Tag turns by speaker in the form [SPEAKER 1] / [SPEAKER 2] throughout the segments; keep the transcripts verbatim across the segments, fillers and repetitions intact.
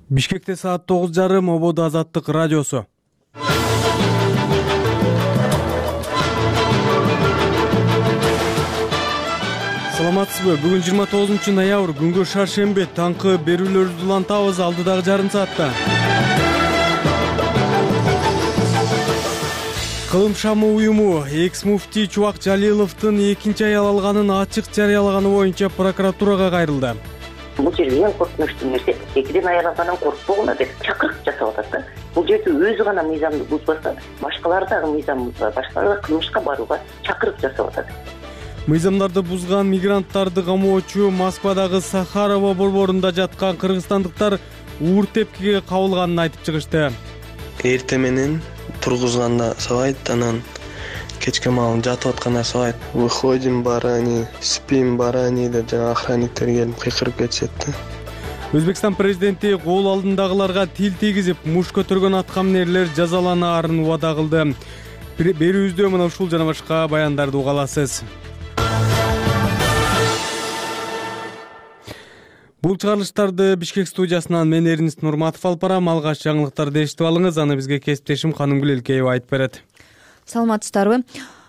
[SPEAKER 1] Бишкекте саат тогуз жарым ободо Азаттык радиосу. Саламатсызбы? Бүгүн жыйырма тогузунчу ноябрь, күнгө шаршемби. Таңкы берүүлөрүбүздү улантабыз алдыдагы жарым саатта. Кылым шамы уюму экс-муфтий Чубак Жалиловдун экинчи аял алганын ачык жарыялаганы боюнча прокуратурага кайрылды.
[SPEAKER 2] Бул жерде эң коркунучтуу нерсе экиден аялагандан коркпогула деп чакырык жасап атат да. Бул жерде өзү гана мыйзамды бузбаса, башкалар дагы мыйзам бузбай, башкалар кылмышка барууга чакырык жасап атат.
[SPEAKER 1] Мыйзамдарды бузган мигранттарды камоочу Москвадагы Сахарова борборунда жаткан кыргызстандыктар уур тепкиге кабылганын айтып чыгышты.
[SPEAKER 3] Эрте менен тургузганда сабайт, анан кечке маал жатып атканда сабайт. Выходим барани, спим барани деп жана охранниктер келип кыйкырып кетишет да.
[SPEAKER 1] Өзбекстан президенти кол алдындагыларга тил тийгизип, муш көтөргөн аткаминерлер жазаланаарын убада кылды. Берүүбүздө мына ушул жана башка баяндарды уга аласыз. Бул чыгарылыштарды Бишкек студиясынан мен Эрнис Нурматов алып барам. Алгач жаңылыктарды эшитип алыңыз, аны бизге кесиптешим Канымгүл Элкеева айтып берет.
[SPEAKER 4] Саламатсыздарбы?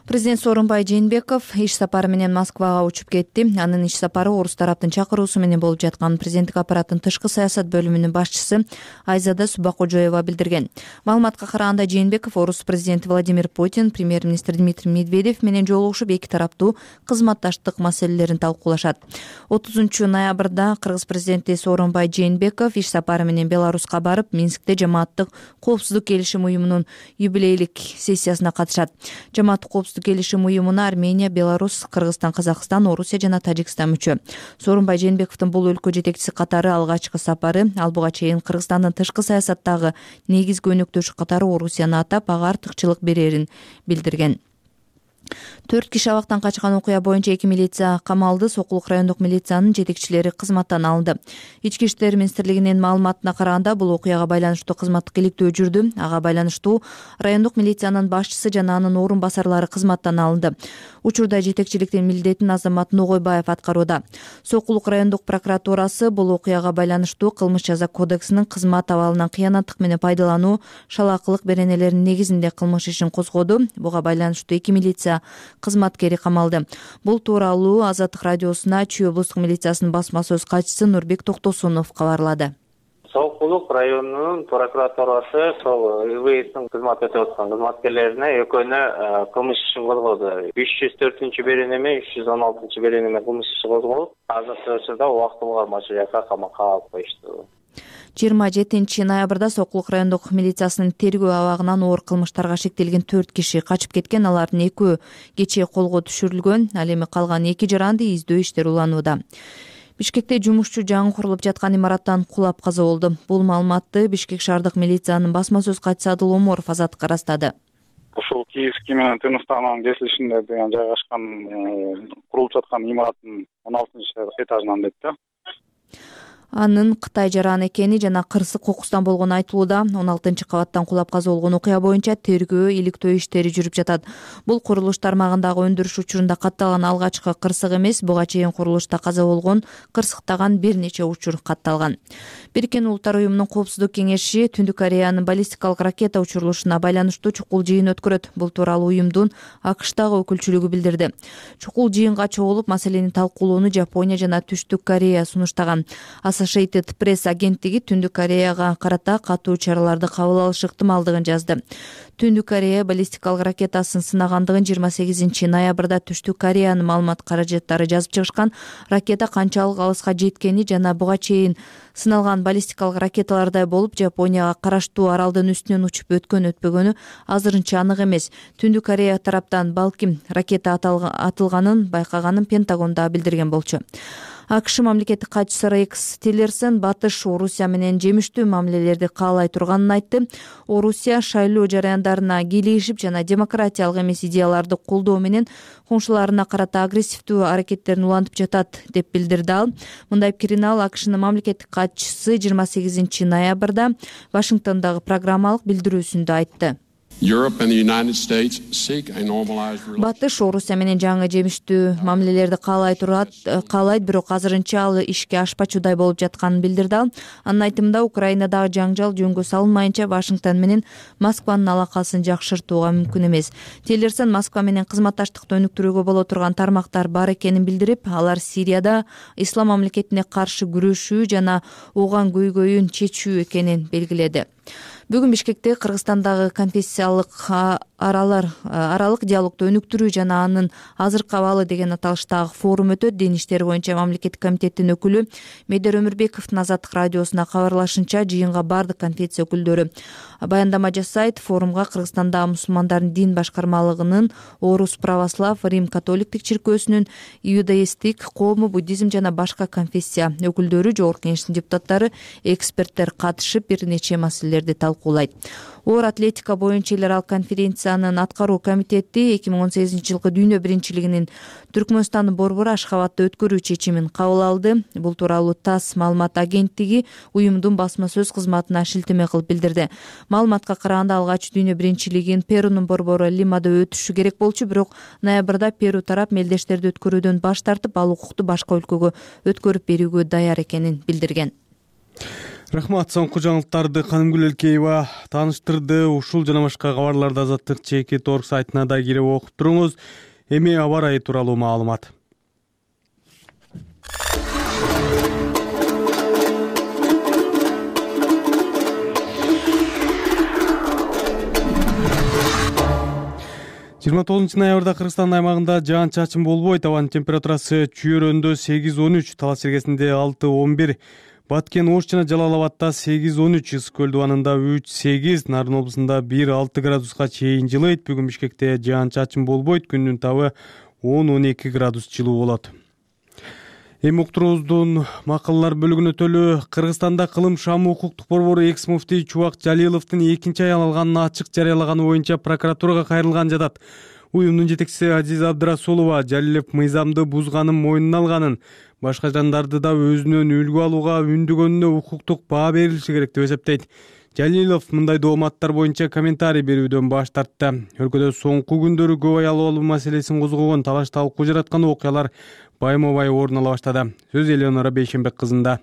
[SPEAKER 4] Президент Сооронбай Жээнбеков иш сапары менен Москвага учуп кетти. Анын иш сапары орус тараптын чакыруусу менен болуп жатканын президенттик аппараттын тышкы саясат бөлүмүнүн башчысы Айзада Субакожоева билдирген. Маалыматка караганда Жээнбеков орус президенти Владимир Путин, премьер-министр Дмитрий Медведев менен жолугушуп эки тараптуу кызматташтык маселелерин талкуулашат. отузунчу ноябрда кыргыз президенти Сооронбай Жээнбеков иш сапары менен Беларуска барып, Минскте жамааттык коопсуздук келишим уюмунун юбилейлик сессиясына катышат. Жамааттык коопсуздук келишим уюмуна Армения, Беларусь, Кыргызстан, Казакстан, Орусия жана Тажикстан мүчө. Сооронбай Жээнбековдун бул өлкө жетекчиси катары алгачкы сапары. Ал буга чейин Кыргызстандын тышкы саясаттагы негизги өнөктөшү катары Орусияны атап, ага артыкчылык берерин билдирген. Төрт киши абактан качкан окуя боюнча эки милиция камалды. Сокулук райондук милициянын жетекчилери кызматтан алынды. Ички иштер министрлигинин маалыматына караганда, бул окуяга байланыштуу кызматтык иликтөө жүрдү. Ага байланыштуу райондук милициянын башчысы жана анын орун басарлары кызматтан алынды. Учурда жетекчиликтин милдетин Азамат Ногойбаев аткарууда. Сокулук райондук прокуратурасы бул окуяга байланыштуу кылмыш жаза кодексинин кызмат абалынан кыянаттык менен пайдалануу, шалаакылык беренелеринин негизинде кылмыш ишин козгоду. Буга байланыштуу эки милиция кызматкери камалды. Бул тууралуу Азаттык радиосуна Чүй облустук милициясынын басма сөз катчысы Нурбек Токтосунов кабарлады.
[SPEAKER 5] Сокулук районунун прокуратурасы сол ИВСтин кызмат өтөп аткан кызматкерлерине экөөнө кылмыш ишин козгоду. үч жүз төртүнчү беренеме, үч жүз он алтынчы беренеме кылмыш иши козголуп, азыркы учурда убактылуу кармоочу жакка камакка алып коюшту.
[SPEAKER 4] жыйырма жетинчи ноябрда Сокулук райондук милициясынын тергөө абагынан оор кылмыштарга шектелген төрт киши качып кеткен. Алардын экөө кечээ колго түшүрүлгөн. Ал эми калган эки жаранды издөө иштери уланууда. Бишкекте жумушчу жаңы курулуп жаткан имараттан кулап каза болду. Бул маалыматты Бишкек шаардык милициянын басма сөз катчысы Адыл Оморов Азаттыкка ырастады.
[SPEAKER 6] Ушул Киевский менен Тыныштаган кесилишинде деген жайгашкан курулуп жаткан имараттын он алтынчы этажынан дейт да.
[SPEAKER 4] Анын Кытай жаран экени жана кырсык кокустан болгону айтылууда. он алтынчы кабаттан кулап каза болгон окуя боюнча тергөө, иликтөө иштери жүрүп жатат. Бул курулуш тармагындагы өндүрүш учурунда катталган алгачкы кырсык эмес. Буга чейин курулушта каза болгон, кырсыктаган бир нече учур катталган. Бириккен Улуттар уюмунун коопсуздук кеңеши Түндүк Кореянын баллистикалык ракета учурулушуна байланыштуу чукул жыйын өткөрөт. Бул тууралуу уюмдун АКШтагы өкүлчүлүгү билдирди. Чукул жыйынга чогулуп, маселени талкуулоону Жапония жана Түштүк Корея сунуштаган. Associated Press агенттиги Түндүк Кореяга карата катуу чараларды кабыл алыш ыктымалдыгын жазды. Түндүк Корея баллистикалык ракетасын сынагандыгын жыйырма сегизинчи ноябрда Түштүк Кореянын маалымат каражаттары жазып чыгышкан. Ракета канчалык алыска жеткени жана буга чейин сыналган баллистикалык ракеталардай болуп Жапонияга караштуу аралдын үстүнөн учуп өткөн өтпөгөнү азырынча анык эмес. Түндүк Корея тараптан балким ракета атылганын байкаганын Пентагонда билдирген болчу. АКШ мамлекеттик катчысы Рекс Тиллерсон Батыш Орусия менен жемиштүү мамилелерди каалай турганын айтты. Орусия шайлоо жараяндарына кийлигишип жана демократиялык эмес идеяларды колдоо менен коңшуларына карата агрессивдүү аракеттерин улантып жатат деп билдирди ал. Мындай пикирин ал АКШнын мамлекеттик катчысы жыйырма сегизинчи ноябрда Вашингтондогу программалык билдирүүсүндө айтты. Батыш Орусия менен жаңы жемиштүү мамилелерди каалай турат, каалайт, бирок азырынча ал ишке ашпачудай болуп жатканын билдирди ал. Анын айтымында, Украинадагы жаңжал жөнгө салынмайынча Вашингтон менен Москванын алакасын жакшыртууга мүмкүн эмес. Тиллерсон Москва менен кызматташтыкты өнүктүрүүгө боло турган тармактар бар экенин билдирип, алар Сирияда ислам мамлекетине каршы күрөшүү жана ооган көйгөйүн чечүү экенин белгиледи. Бүгүн Бишкекте Кыргызстандагы конфессиялык аралар аралык диалогду өнүктүрүү жана анын азыркы абалы деген аталыштагы форум өтөт. Дин иштери боюнча мамлекеттик комитеттин өкүлү Медер Өмүрбековдун Азаттык радиосуна кабарлашынча, жыйынга бардык конфессия өкүлдөрү баяндама жасайт. Форумга Кыргызстандагы мусулмандардын дин башкармалыгынын, Орус православ, Рим католиктик чиркөөсүнүн, иудаисттик, коому, буддизм жана башка конфессия өкүлдөрү, жогорку кеңештин депутаттары, эксперттер катышып, бир нече маселелерди талкуулайт. Оор атлетика боюнча эл аралык конференциянын аткаруу комитети эки миң он сегизинчи жылкы дүйнө биринчилигинин Түркмөнстандын борбору Ашхабадда өткөрүү чечимин кабыл алды. Бул тууралуу ТАСС маалымат агенттиги уюмдун басма сөз кызматына шилтеме кылып билдирди. Маалыматка караганда, алгач дүйнө биринчилигин Перунун борбору Лимада өтүшү керек болчу, бирок ноябрда Перу тарап мелдештерди өткөрүүдөн баш тартып, ал укукту башка өлкөгө өткөрүп берүүгө даяр экенин билдирген.
[SPEAKER 1] Рахмат, соңку жаңылыктарды Канымгүл Элкеева тааныштырды. Ушул жана башка кабарларды Азаттык чекит орг сайтына да кирип окуп туруңуз. Эми аба ырайы тууралуу маалымат. жыйырма тогузунчу ноябрда Кыргызстан аймагында жаан-чачын болбойт. Абанын температурасы Чүйөрөндө сегиз он үч, Талас Сергесинде алты он бир, Баткен, Ош жана Жалал Абадда сегиз он үч, Ысык көл дубанында үч сегиз, Нарын облусунда бир алты градуска чейин жылыйт. Бүгүн Бишкекте жаан-чачын болбойт, күндүн табы он он эки градус жылуу болот. Эми уктуруубуздун макалалар бөлүгүнө өтөлү. Кыргызстанда Кылым Шамы укуктук борбору экс-муфтий Чубак Жалиловдун экинчи аял алганын ачык жарыялаганы боюнча прокуратурага кайрылган жатат. Уюмдун жетекчиси Азиза Абдрасулова Жалилов мыйзамды бузганын мойнуна алганын, башка жандарды да өзүнөн үлгү алууга үндөгөнүнө укуктук баа берилиши керек деп эсептейт. Жалилов мындай дооматтар боюнча комментарий берүүдөн баш тартты. Өлкөдө соңку күндөрү көп аялы алуу маселесин козгогон, талаш талкуу жараткан окуялар байма-бай орун ала баштады. Сөз Элеонора Бейшенбек кызында.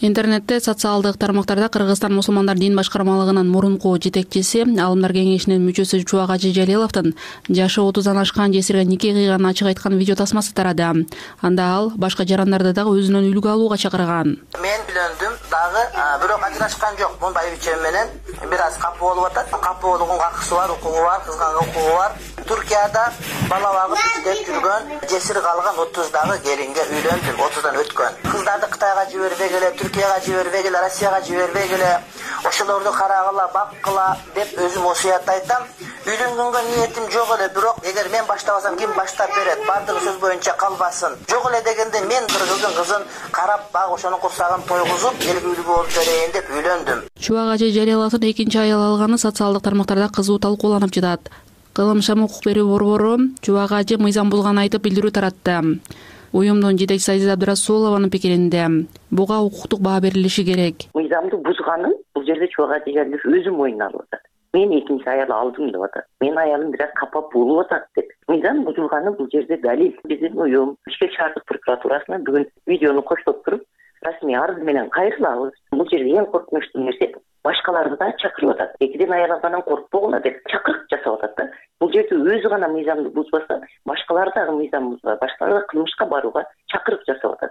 [SPEAKER 7] Интернетте, социалдык тармактарда Кыргызстан мусулмандар дин башкармалыгынын мурунку жетекчиси, Алымдар кеңешинин мүчөсү Чубак Ажы Жалиловдун жашы отуздан ашкан жесирге нике кыйганын ачык айткан видео тасмасы тарады. Анда ал башка жарандарды дагы өзүнөн үлгү алууга чакырган.
[SPEAKER 8] Мен үйлөндүм дагы, бирок ажырашкан жок. Мун байбичем менен бир аз капы болуп атат. Капы болуугун акысы бар, укугу бар, кызганга укугу бар. Туркияда бала багып иштеп жүргөн жесир калган отуздагы келинге үйлөндүм, отуздан өткөн. Кыздарды Кытайга жибербей келе, Түркияга жибербей келе, Россияга жибербей келе, ошолорду карагыла, баккыла деп өзүм осуят айтам. Үйлөнгөнгө ниетим жок эле, бирок эгер мен баштабасам ким баштап берет? Бардыгы сөз боюнча калбасын. Жок эле дегенде мен бир кыздын кызын карап, баг ошонун курсагын тойгузуп, эл үлгү болуп берейин деп үйлөндүм.
[SPEAKER 7] Чубак Ажы Жалиловдун экинчи аял алганы социалдык тармактарда кызуу талкууланып жатат. Кылым Шамы укук берүү борбору Чубак Ажы мыйзам бузганын айтып билдирүү таратты. Уюмдун жетекчиси Азиза Абдрасулованын пикиринде буга укуктук баа берилиши керек.
[SPEAKER 2] Мыйзамды бузганын бул жерде Чубак Ажы Жалилов өзү мойнуна алып атат. Мен экинчи аял алдым деп атат. Менин аялым бир аз капа болуп атат деп. Мыйзам бузулганы бул жерде далил. Биздин уюм Бишкек шаардык прокуратурасына бүгүн видеону коштоп туруп, расмий арыз менен кайрылабыз. Бул жерде эң коркунучтуу нерсе башкаларды да чакырып атат. Экиден аял алгандан коркпогула деп чакырык жасап атат да. Бул жерде өзү гана мыйзамды бузбаса, башкалар дагы мыйзам бузбай, башкалар кылмышка барууга чакырык жасап атат.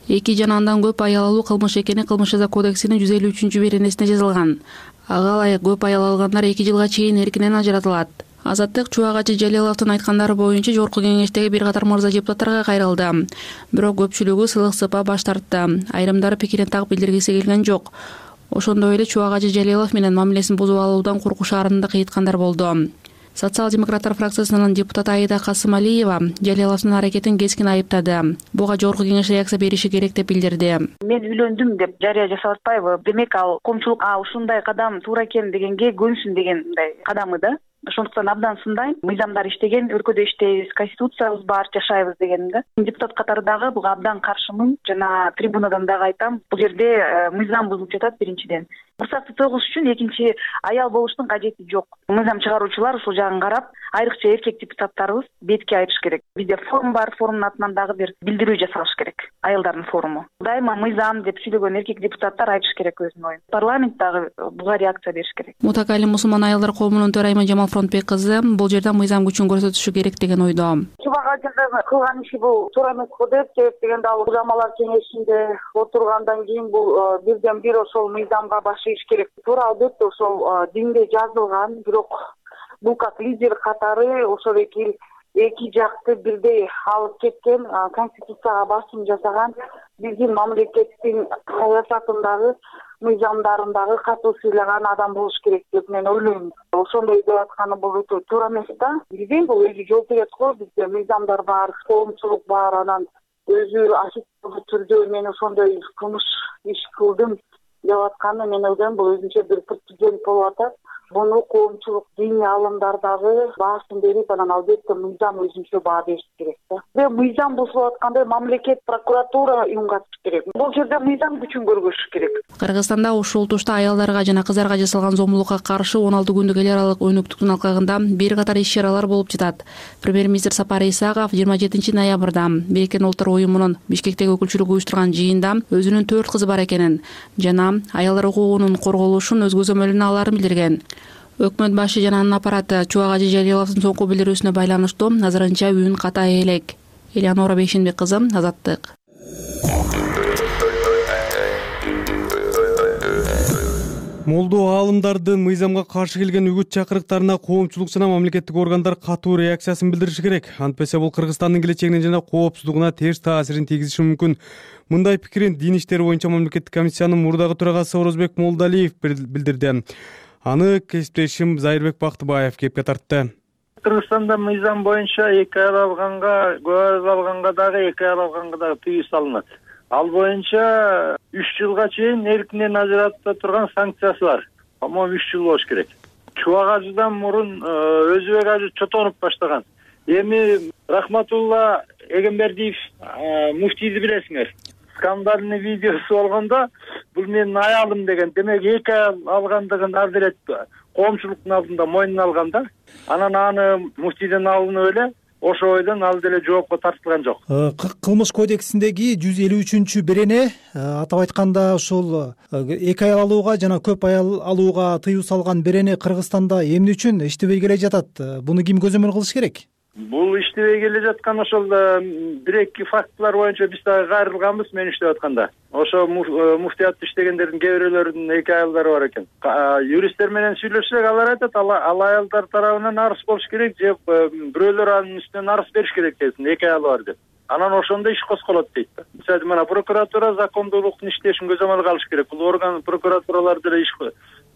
[SPEAKER 7] Эки жана андан көп аял алуу кылмыш экени Кылмыш жаза кодексинин жүз элүү үчүнчү беренесинде жазылган. Ага ылайык көп аял алгандар эки жылга чейин эркинен ажыратылат. Азаттык Чубак Ажы Жалиловдун айткандары боюнча жогорку кеңештеги бир катар мырза депутаттарга кайрылды. Бирок көпчүлүгү сылык сыпа баш тартты. Айрымдары пикирин так билдиргиси келген жок. Ошондой эле Чубак Ажы Жалилов менен мамилесин бузуп алуудан коркушаарын да кыйыткандар болду. Социал-демократтар фракциясынын депутаты Аида Касымалиева Жалиловдун аракетин кескин айыптады. Буга жогорку кеңеш реакция бериши керек деп билдирди.
[SPEAKER 9] Мен үйлөндүм деп жарыя жасап атпайбы? Демек ал коомчулук а ушундай кадам туура экен дегенге көнсүн деген мындай кадамы да. Ошондуктан абдан сындайм. Мыйзамдар иштеген, өлкөдө иштейбиз, конституциябыз бар, жашайбыз дегеним да. Депутат катары дагы буга абдан каршымын. Жана трибунадан дагы айтам, бул жерде мыйзам бузулуп жатат биринчиден. уруксатты тойгузуш үчүн экинчи аял болуштун кажети жок. Мыйзам чыгаруучулар ушул жагын карап, айрыкча эркек депутаттарыбыз бетке айырыш керек. Бизде форум бар, форумдун атынан дагы бир билдирүү жасалыш керек. Аялдардын форуму. Дайыма мыйзам деп сүйлөгөн эркек депутаттар айтыш керек өзүнүн оюн. Парламент дагы буга реакция бериш керек.
[SPEAKER 7] Мутакалим мусулман аялдар коомунун төрайымы Жамал Фронтбек кызы бул жерде мыйзам күчүн көрсөтүшү керек деген ойдо.
[SPEAKER 10] Чубак кылган иши бул туура эмес го деп, себеп дегенде ал узамалар кеңешинде отургандан кийин бул бирден бир ошол мыйзамга баш ийиш керек. Туура албетте ошол динде жазылган, бирок бул как лидер катары ошол эки эки жакты бирдей алып кеткен, конституцияга басым жасаган, биздин мамлекеттин саясатындагы мыйзамдарындагы катуу сыйлаган адам болуш керек деп мен ойлойм. Ошондой деп атканы бул өтө туура эмес да. Билбейм, бул өзү жооп берет го. Бизде мыйзамдар бар, коомчулук бар, анан өзү ашыктуу түрдө мен ошондой кылмыш иш кылдым деп атканы мен ойлойм, бул өзүнчө бир прецедент болуп атат. Буну коомчулук диний алымдар дагы баасын берип, анан албетте мыйзам өзүнчө баа бериш керек да. Мыйзам бузулуп атканда мамлекет, прокуратура үн катыш керек. Бул жерде мыйзам күчүн көргөзүш керек.
[SPEAKER 7] Кыргызстанда ушул тушта аялдарга жана кыздарга жасалган зомбулукка каршы он алты күндүк эл аралык өнөктүктүн алкагында бир катар иш-чаралар болуп жатат. Премьер-министр Сапар Исаков жыйырма жетинчи ноябрда Бириккен Улуттар уюмунун Бишкектеги өкүлчүлүгү уюштурган жыйында өзүнүн төрт кызы бар экенин жана аялдар укугунун корголушун өз көзөмөлүнө алаарын билдирген. Өкмөт башы жана анын аппараты Чубак Ажи Жалиловдун соңку билдирүүсүнө байланыштуу азырынча үн катай элек. Элеонора Бейшенбек кызы, Азаттык.
[SPEAKER 1] Молдо аалымдардын мыйзамга каршы келген үгүт чакырыктарына коомчулук жана мамлекеттик органдар катуу реакциясын билдириши керек. Антпесе бул Кыргызстандын келечегине жана коопсуздугуна терс таасирин тийгизиши мүмкүн. Мындай пикирин Дин иштери боюнча мамлекеттик комиссиянын мурдагы төрагасы Орозбек Молдалиев билдирди. Аны кесиптешим Зайырбек Бактыбаев кепке тартты.
[SPEAKER 11] Кыргызстанда мыйзам боюнча эки аял алганга, көө аял алганга дагы эки аял алганга дагы тыюу салынат. Ал боюнча үч жылга чейин эркинен ажырата турган санкциясы бар. По-моему, үч жыл болуш керек. Чубак Ажыдан мурун Өзбек Ажы чотонуп баштаган. Эми Рахматулла Эгембердиев муфтийди билесиңер. Скандальный видеосу болгондо бул менин аялым деген, демек эки аял алгандыгын ар деле коомчулуктун алдында мойнуна алган да. Анан аны муфтийден алынып эле ошо ойдон ал деле жоопко тартылган жок.
[SPEAKER 12] Кылмыш кодексиндеги жүз элүү үчүнчү берене атап айтканда ушул эки аял алууга жана көп аял алууга тыюу салган берене Кыргызстанда эмне үчүн иштебей келе жатат? Буну ким көзөмөл кылыш керек?
[SPEAKER 11] Бул иштебей келе жаткан ошол бир-эки фактылар боюнча биз дагы кайрылганбыз мен иштеп атканда. Ошо муфтиятта иштегендердин кээ бирлөрүнүн эки аялдары бар экен. Юристтер менен сүйлөшсөк, алар айтат, ал аялдар тарабынан арыз болуш керек же бирөөлөр анын үстүнөн арыз бериш керек десин, эки аялы бар деп. Анан ошондо иш козголот дейт да. Мисалы мына прокуратура закондуулуктун иштешин көзөмөл алыш керек. Бул орган прокуратуралар деле иш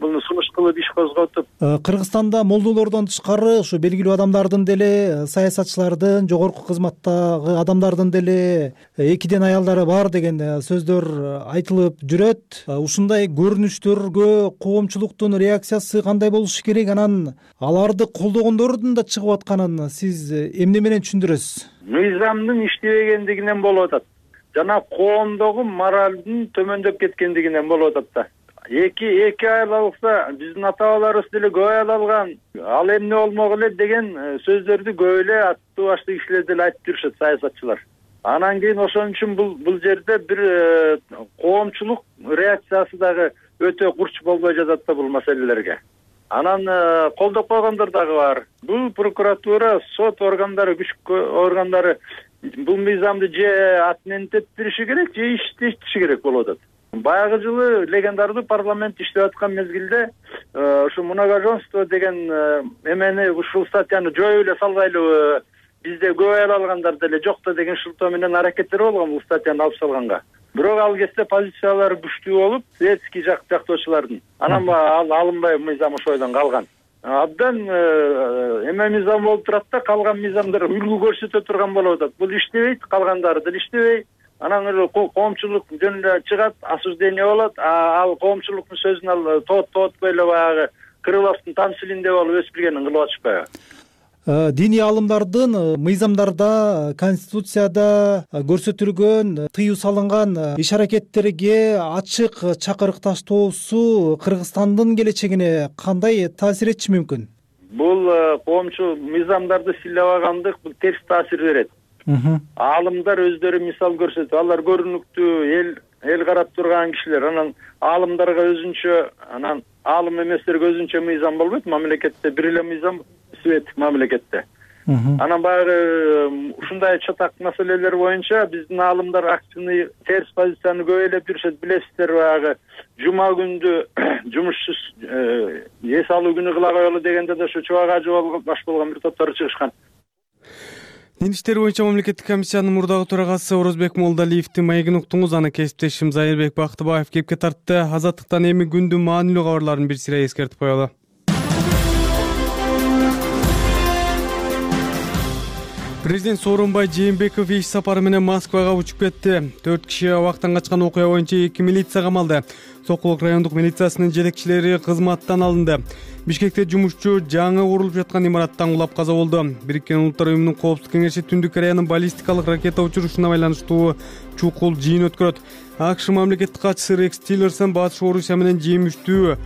[SPEAKER 11] буну сунуш кылып иш козготуп.
[SPEAKER 12] Кыргызстанда молдолордон тышкары ушу белгилүү адамдардын деле, саясатчылардын, жогорку кызматтагы адамдардын деле экиден аялдары бар деген сөздөр айтылып жүрөт. Ушундай көрүнүштөргө коомчулуктун реакциясы кандай болушу керек? Анан аларды колдогондордун да чыгып атканын сиз эмне менен түшүндүрөсүз?
[SPEAKER 11] Мыйзамдын иштебегендигинен болуп атат жана коомдогу моралдын төмөндөп кеткендигинен болуп атат да. Эки эки аял алса, биздин ата-бабаларыбыз деле көп аял алган, ал эмне болмок эле деген сөздөрдү көп эле аттуу баштуу кишилер деле айтып жүрүшөт, саясатчылар. Анан кийин ошон үчүн бул бул жерде бир коомчулук реакциясы дагы өтө курч болбой жатат да бул маселелерге. Анан колдоп койгондор дагы бар. Бул прокуратура, сот органдары, күч органдары бул мыйзамды же отменттириши керек, же иштетиши керек болуп атат. Баягы жылы легендардуу парламент иштеп аткан мезгилде ушу многоженство деген эмени ушул статьяны жоюп эле салгайлы, бизде көп аял алгандар деле жок да деген шылтоо менен аракеттер болгон бул статьяны алып салганга. Бирок ал кезде позициялары күчтүү болуп, светский жак жактоочулардын. Анан ал алынбай мыйзам ошойдон калган. Абдан эме мыйзам болуп турат да, калган мыйзамдар үлгү көрсөтө турган болуп атат. Бул иштебейт, калгандары деле иштебей. Анан эле коомчулук жөнүндө чыгат, осуждение болот, ал коомчулуктун сөзүн ал тоот тоотпой эле баягы Крыловдун тамсилинде болуп өсүп келгенин кылып атышпайбы?
[SPEAKER 12] диний аалымдардын мыйзамдарда, конституцияда көрсөтүлгөн тыюу салынган иш аракеттерге ачык чакырыкташтоосу Кыргызстандын келечегине кандай таасир этиши мүмкүн?
[SPEAKER 11] Бул коомчу мыйзамдарды сыйлабагандык бул терс таасир берет. Аалымдар өздөрү мисал көрсөтүп, алар көрүнүктүү эл эл карап турган кишилер, анан аалымдарга өзүнчө, анан аалым эместерге өзүнчө мыйзам болбойт. Мамлекетте бир эле мыйзам, светтик мамлекетте. Анан баягы ушундай чатак маселелер боюнча биздин аалымдар активный терс позицияны көп элеп жүрүшөт. Билесиздер, баягы жума күндү жумушсуз эс алуу күнү кыла коелу дегенде да ушу чубак ажы баш болгон бир топтор чыгышкан.
[SPEAKER 1] Дин иштери боюнча мамлекеттик комиссиянын мурдагы төрагасы Орозбек Молдалиевдин маегин уктуңуз. Аны кесиптешим Зайырбек Бактыбаев кепке тартты. Азаттыктан эми күндүн маанилүү кабарларын бир сыйра эскертип коелу. Президент Сооронбай Жээнбеков иш сапары менен Москвага учуп кетти. Төрт киши абактан качкан окуя боюнча эки милиция камалды. Сокулук райондук милициясынын жетекчилери кызматтан алынды. Бишкекте жумушчу жаңы курулуп жаткан имараттан кулап каза болду. Бириккен Улуттар уюмунун коопсуздук кеңеши Түндүк Кореянын баллистикалык ракета учурушуна байланыштуу чукул жыйын өткөрөт. АКШ мамлекеттик катчысы Рекс Тиллерсон Батыш Орусия менен жемиштүү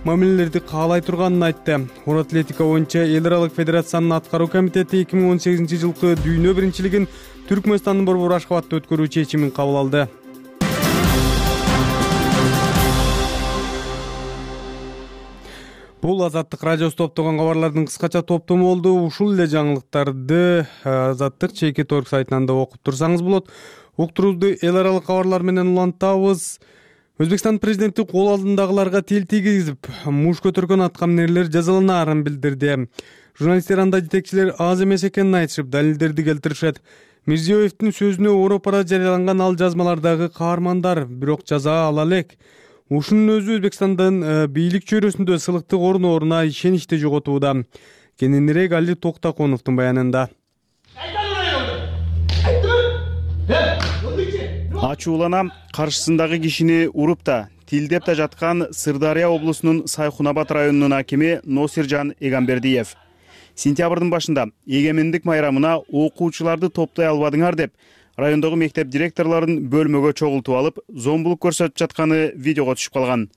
[SPEAKER 1] мамилелерди каалай турганын айтты. Оор атлетика боюнча эл аралык федерациянын аткаруу комитети эки миң он сегизинчи жылкы дүйнө биринчилигин Түркмөнстандын борбор Ашхабадта өткөрүү чечимин кабыл алды. Бул Азаттык радиосу топтогон кабарлардын кыскача топтому болду. Ушул эле жаңылыктарды Азаттык чейки торг сайтынан да окуп турсаңыз болот. Уктурууду эл аралык кабарлар менен улантабыз. Өзбекстан президенти кол алдындагыларга тил тийгизип, муш көтөргөн аткаминерлер жазаланаарын билдирди. Журналисттер анда жетекчилер аз эмес экенин айтышып, далилдерди келтиришет. Мирзиёевдин сөзүнө Европада жарыяланган ал жазмалардагы каармандар бирок жаза ала элек. Ушунун өзү Өзбекстандын бийлик чөйрөсүндө сылыктык орун-орунуна ишеничти жоготууда. Кененирээк Али Токтаконовдун баянында.
[SPEAKER 13] Ачууланам, каршысындагы кишини уруп да, тилдеп да жаткан Сырдария облусунун Сайхунабад районунун акими Носиржан Эгамбердиев. Сентябрдын башында эгемендик майрамына окуучуларды топтой албадыңар деп, райондогу мектеп директорлорун бөлмөгө чогултуп алып, зомбулук көрсөтүп жатканы видеого түшүп калган.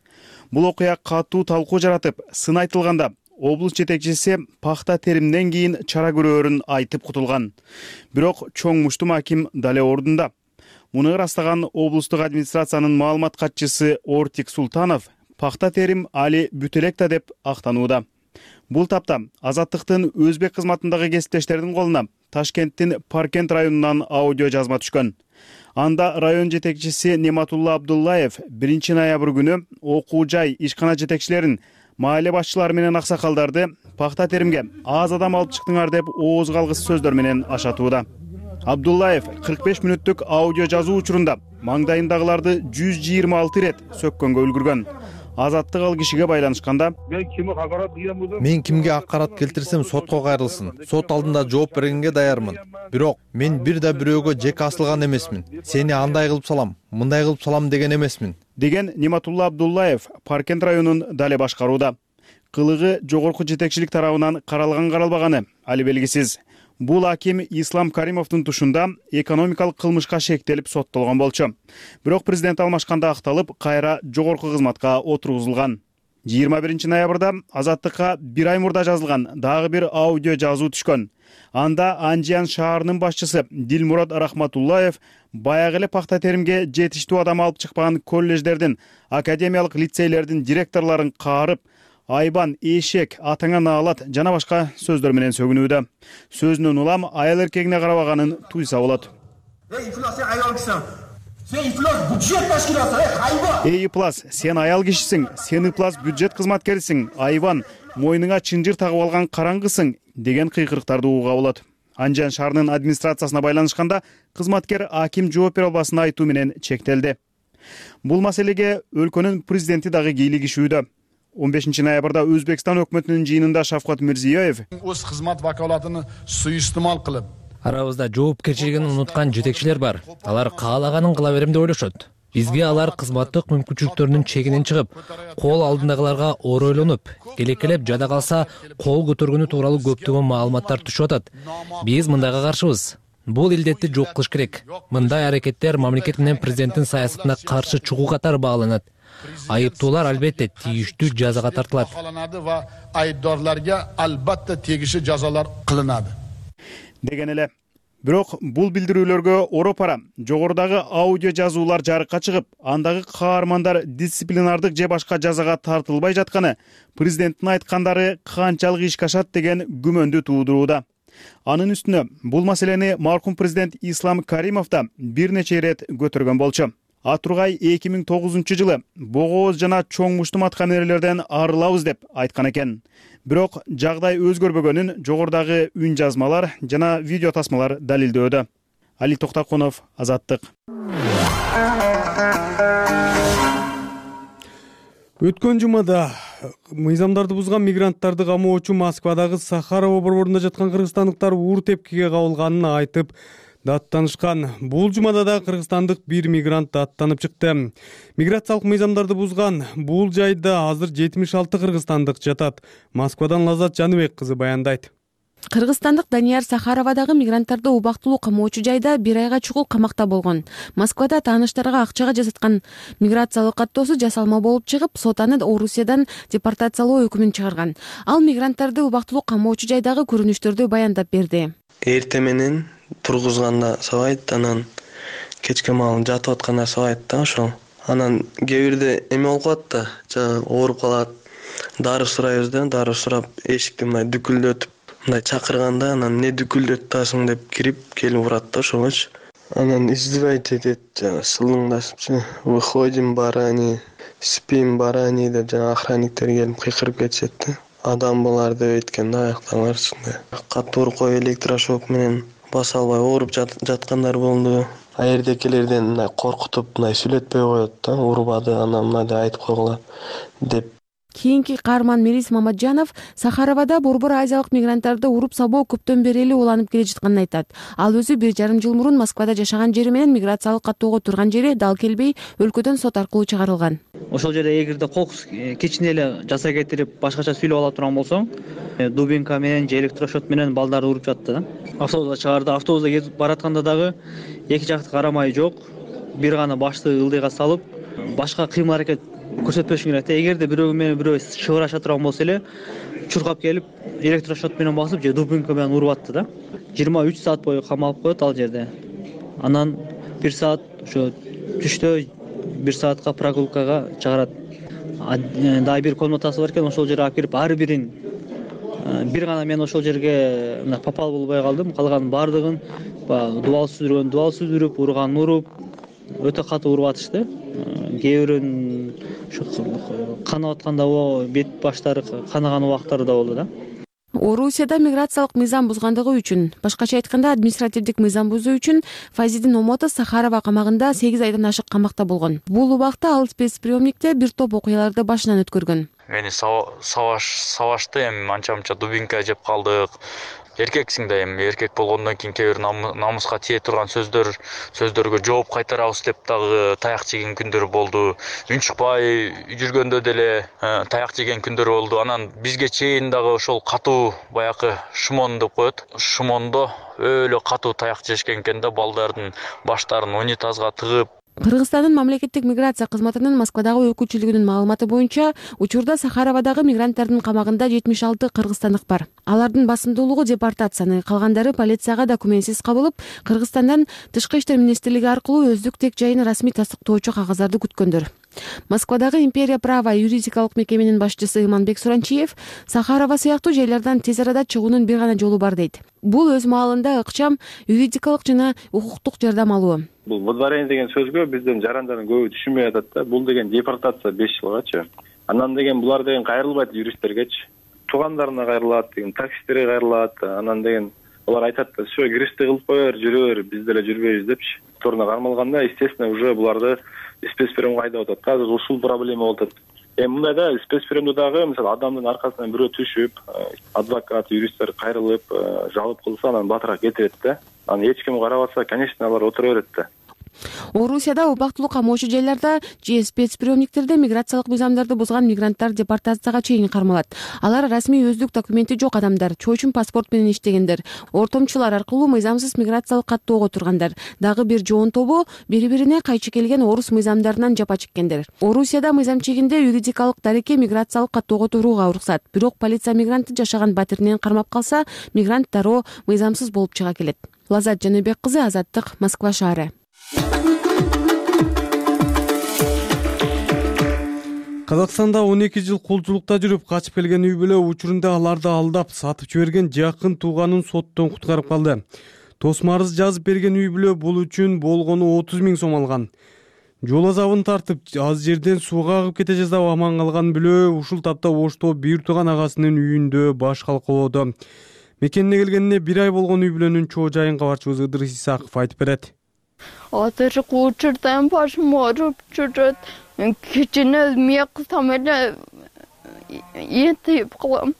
[SPEAKER 13] Бул окуя катуу талкуу жаратып, сын айтылганда, облус жетекчиси пахта теримден кийин чара көрөөрүн айтып кутулган. Бирок чоң муштум аким дале ордунда. Муну ырастаган облустук администрациянын маалымат катчысы Ортик Султанов пахта терим али бүтөлекта деп актанууда. Бул тапта Азаттыктын өзбек кызматындагы кесиптештердин колуна Ташкенттин Паркент районунан аудио жазма түшкөн. Анда район жетекчиси Нематулла Абдуллаев биринчи ноябрь күнү окуу жай, ишкана жетекчилерин, маале башчылары менен аксакалдарды пахта теримге аз адам алып чыктыңар деп ооз калгыс сөздөр менен ашатууда. Абдуллаев кырк беш мүнөттүк аудио жазуу учурунда маңдайындагыларды жүз жыйырма алты ирет сөккөнгө үлгүргөн. Азаттык ал кишиге байланышканда,
[SPEAKER 14] мен кимге акарат келтирсем сотко кайрылсын, сот алдында жооп бергенге даярмын. Бирок мен бир да бирөөгө жек асылган эмесмин. Сени андай кылып салам, мындай кылып салам деген эмесмин,
[SPEAKER 13] деген Нематулла Абдуллаев Паркент районун дале башкарууда. Кылыгы жогорку жетекчилик тарабынан каралган каралбаганы али белгисиз. Бул аким Ислам Каримовдун тушунда экономикалык кылмышка шектелип соттолгон болчу. Бирок президент алмашканда акталып, кайра жогорку кызматка отургузулган. жыйырма биринчи ноябрда Азаттыкка бир ай мурда жазылган дагы бир аудио жазуу түшкөн. Анда Анжиян шаарынын башчысы Дилмурод Рахматуллаев баягы эле пахта теримге жетиштүү адам алып чыкпаган коллеждердин, академиялык лицейлердин директорлорун каарып, айбан, эшек, атаңа наалат жана башка сөздөр менен сөгүнүүдө. Сөзүнөн улам аял эркегине карабаганын туйса болот. Эй Иплас, сен аял кишисиң, сен Иплас бюджет кызматкерисиң, айбан, мойнуңа чынжыр тагып алган караңгысың деген кыйкырыктарды угууга болот. Анжан шаарынын администрациясына байланышканда кызматкер аким жооп бере албасын айтуу менен чектелди. Бул маселеге өлкөнүн президенти дагы кийлигишүүдө. он бешинчи ноябрда Өзбекстан өкмөтүнүн жыйынында Шавкат Мирзиёев
[SPEAKER 15] өз кызмат вакалатын суйустумал кылып,
[SPEAKER 16] арабызда жоопкерчилигин унуткан жетекчилер бар. Алар каалаганын кыла берем деп ойлошот. Бизге алар кызматтык мүмкүнчүлүктөрүнүн чегинен чыгып, кол алдындагыларга оройлонуп, келекелеп жада калса кол көтөргөнү тууралуу көптөгөн маалыматтар түшүп атат. Биз мындайга каршыбыз. Бул илдетти жок кылыш керек. Мындай аракеттер мамлекет менен президенттин саясатына каршы чыгуу катары бааланат. Айыптуулар албетте тийиштүү жазага тартылат.
[SPEAKER 15] Va aybdorlarga albatta tegishli jazolar qilinadi.
[SPEAKER 13] Деген эле. Бирок бул билдирүүлөргө оропара жогорудагы аудио жазуулар жарыкка чыгып, андагы каармандар дисциплинардык же башка жазага тартылбай жатканы президенттин айткандары канчалык ишке ашат деген күмөндү туудурууда. Анын үстүнө бул маселени маркум президент Ислам Каримов да бир нече ирет көтөргөн болчу. Атургай эки миң тогузунчу жылы богооз жана чоң муштумат камералерден арылабыз деп айткан экен. Бирок жагдай өзгөрбөгөнүн жогорудагы үн жазмалар жана видео тасмалар далилдөөдө. Али Токтакунов, Азаттык.
[SPEAKER 1] Өткөн жумада мыйзамдарды бузган мигранттарды камоочу Москвадагы Сахарова борборунда жаткан кыргызстандыктар уур тепкиге кабылганын айтып даттанышкан. Бул жумада да кыргызстандык бир мигрант даттанып чыкты. Миграциялык мыйзамдарды бузган бул жайда азыр жетимиш алты кыргызстандык жатат. Москвадан Лазат Жаныбек кызы баяндайт.
[SPEAKER 7] Кыргызстандык Данияр Сахаровадагы мигранттарды убактылуу камоочу жайда бир айга чукул камакта болгон. Москвада тааныштарга акчага жасаткан миграциялык каттоосу жасалма болуп чыгып, сот аны Орусиядан депортациялоо өкүмүн чыгарган. Ал мигранттарды убактылуу камоочу жайдагы көрүнүштөрдү баяндап берди.
[SPEAKER 3] Эрте менен тургузганда сабайт, анан кечке маал жатып атканда сабайт да ошол. Анан кээ бирде эме болуп калат да, жана ооруп калат. Дары сурайбыз да, дары сурап эшикти мындай дүкүлдөтүп, мындай чакырганда анан не дүкүлдөттасың деп кирип келип урат да ошогочу. Анан издевать этет, жана сылыңдашыпчы. Выходим, барани, спим, барани деп жана охранниктер келип кыйкырып кетишет да. Адам булар деп айтканда аяктаңарчы. Катуур кой электрошок менен баса албай ооруп жаткандар болду. Аердекелерден мындай коркутуп, мындай сүйлөтпөй коет да, урбады, анан мына деп айтып койгула деп.
[SPEAKER 7] Кийинки каарман Мирис Мамаджанов Сахаровада борбор азиялык мигранттарды уруп сабоо көптөн бери эле уланып келе жатканын айтат. Ал өзү бир жарым жыл мурун Москвада жашаган жери менен миграциялык каттоого турган жери дал келбей, өлкөдөн сот аркылуу чыгарылган.
[SPEAKER 17] Ошол жерде эгерде кокус кичине эле жаса кетирип, башкача сүйлөп ала турган болсоң, дубинка менен же электрошот менен балдарды уруп жатты да. Автобуска чыгарды, автобуста кетип баратканда дагы эки жакты карамай жок, бир гана башты ылдыйга салып, башка кыймыл аракет көрсөтпөшүң керек да. Эгерде бирөө менен бирөө шыбыраша турган болсо эле чуркап келип электрошот менен басып же дубинка менен уруп атты да. жыйырма үч саат бою камалып коет ал жерде. Анан бир саат ошо түштө бир саатка прогулкага чыгарат. Дагы бир комнатасы бар экен, ошол жерге алып кирип ар бирин бир гана мен ошол жерге мына попал болбой калдым. Калганын баардыгын дубал сүзүргөн дубал сүзүрүп, урганын уруп, өтө катуу уруп атышты. Кээ бирин канап атканда бет баштары канаган убактары да болду да.
[SPEAKER 7] Орусияда миграциялык мыйзам бузгандыгы үчүн, башкача айтканда административдик мыйзам бузуу үчүн Файзидин Омотов Сахарова камагында сегиз айдан ашык камакта болгон. Бул убакта ал спецприемникте бир топ окуяларды башынан өткөргөн.
[SPEAKER 18] Мени сабаш сабашты, эми анча-мынча дубинка жеп калдык. Эркексиң да, эми эркек болгондон кийин кээ бир намыска тие турган сөздөр сөздөргө жооп кайтарабыз деп дагы таяк жеген күндөр болду. Үн чыкпай жүргөндө деле таяк жеген күндөр болду. Анан бизге чейин дагы ошол катуу баягы шмон деп коет. Шмондо өлө катуу таяк жешкен экен да, балдардын баштарын унитазга тыгып.
[SPEAKER 7] Кыргызстандын мамлекеттик миграция кызматынын Москвадагы өкүлчүлүгүнүн маалыматы боюнча, учурда Сахаровадагы мигранттардын камагында жетимиш алты кыргызстандык бар. Алардын басымдуулугу депортацияны, калгандары полицияга документсиз кабылып, Кыргызстандан Тышкы иштер министрлиги аркылуу өздүк тек жайын расмий тастыктоочу кагаздарды күткөндөр. Москвадагы Империя права юридикалык мекеменин башчысы Иманбек Суранчиев Сахарова сыяктуу жайлардан тез арада чыгуунун бир гана жолу бар дейт. Бул өз маалында ыкчам юридикалык жана укуктук жардам алуу.
[SPEAKER 19] Бул выдворение деген сөзгө бизден жарандардын көбү түшүнбөй атат да. Бул деген депортация беш жылгачы. Анан деген булар деген кайрылбайт юристтергечи. Туугандарына кайрылат деген, таксисттерге кайрылат. Анан деген алар айтат да, "Всё, киришти кылып коер, жүрөбөр, биз деле жүрбөйбүз" депчи. Торуна кармалганда, естественно, уже буларды спецприемге айдап атат. Азыр ушул проблема болуп атат. Эми мындай да, спецприемде дагы, мисалы, адамдын аркасынан бирөө түшүп, адвокат, юристтер кайрылып, жалоп кылса, анан батыраак кетирет да. Анан эч ким карабаса, конечно, алар отура берет да.
[SPEAKER 20] Орусияда убактылуу камоочу жайларда же спецприемниктерде миграциялык мыйзамдарды бузган мигранттар депортацияга чейин кармалат. Алар расмий өздүк документи жок адамдар, чоочун паспорт менен иштегендер, ортомчулар аркылуу мыйзамсыз миграциялык каттоого тургандар, дагы бир жоон тобу бири-бирине кайчы келген орус мыйзамдарынан жапа чеккендер. Орусияда мыйзам чегинде юридикалык дарекке миграциялык каттоого турууга уруксат. Бирок полиция мигрантты жашаган батиринен кармап калса, мигрант дароо мыйзамсыз болуп чыга келет. Лазат Жаныбек кызы, Азаттык, Москва шаары.
[SPEAKER 1] Казакстанда он эки жыл кулчулукта жүрүп качып келген үй бүлө учурунда аларды алдап сатып жиберген жакын тууганын соттон куткарып калды. Тосмо арыз жазып берген үй бүлө бул үчүн болгону отуз миң сом алган. Жол азабын тартып, аз жерден сууга агып кете жаздап аман калган бүлө ушул тапта Ошто бир тууган агасынын үйүндө баш калкалоодо. Мекенине келгенине бир ай болгон үй бүлөнүн чоо жайын кабарчыбыз Ыдырыс Исаков айтып берет.
[SPEAKER 21] Азыркы учурдан башым ооруп жүрөт. Кичине эмне кылсам эле энтип калам.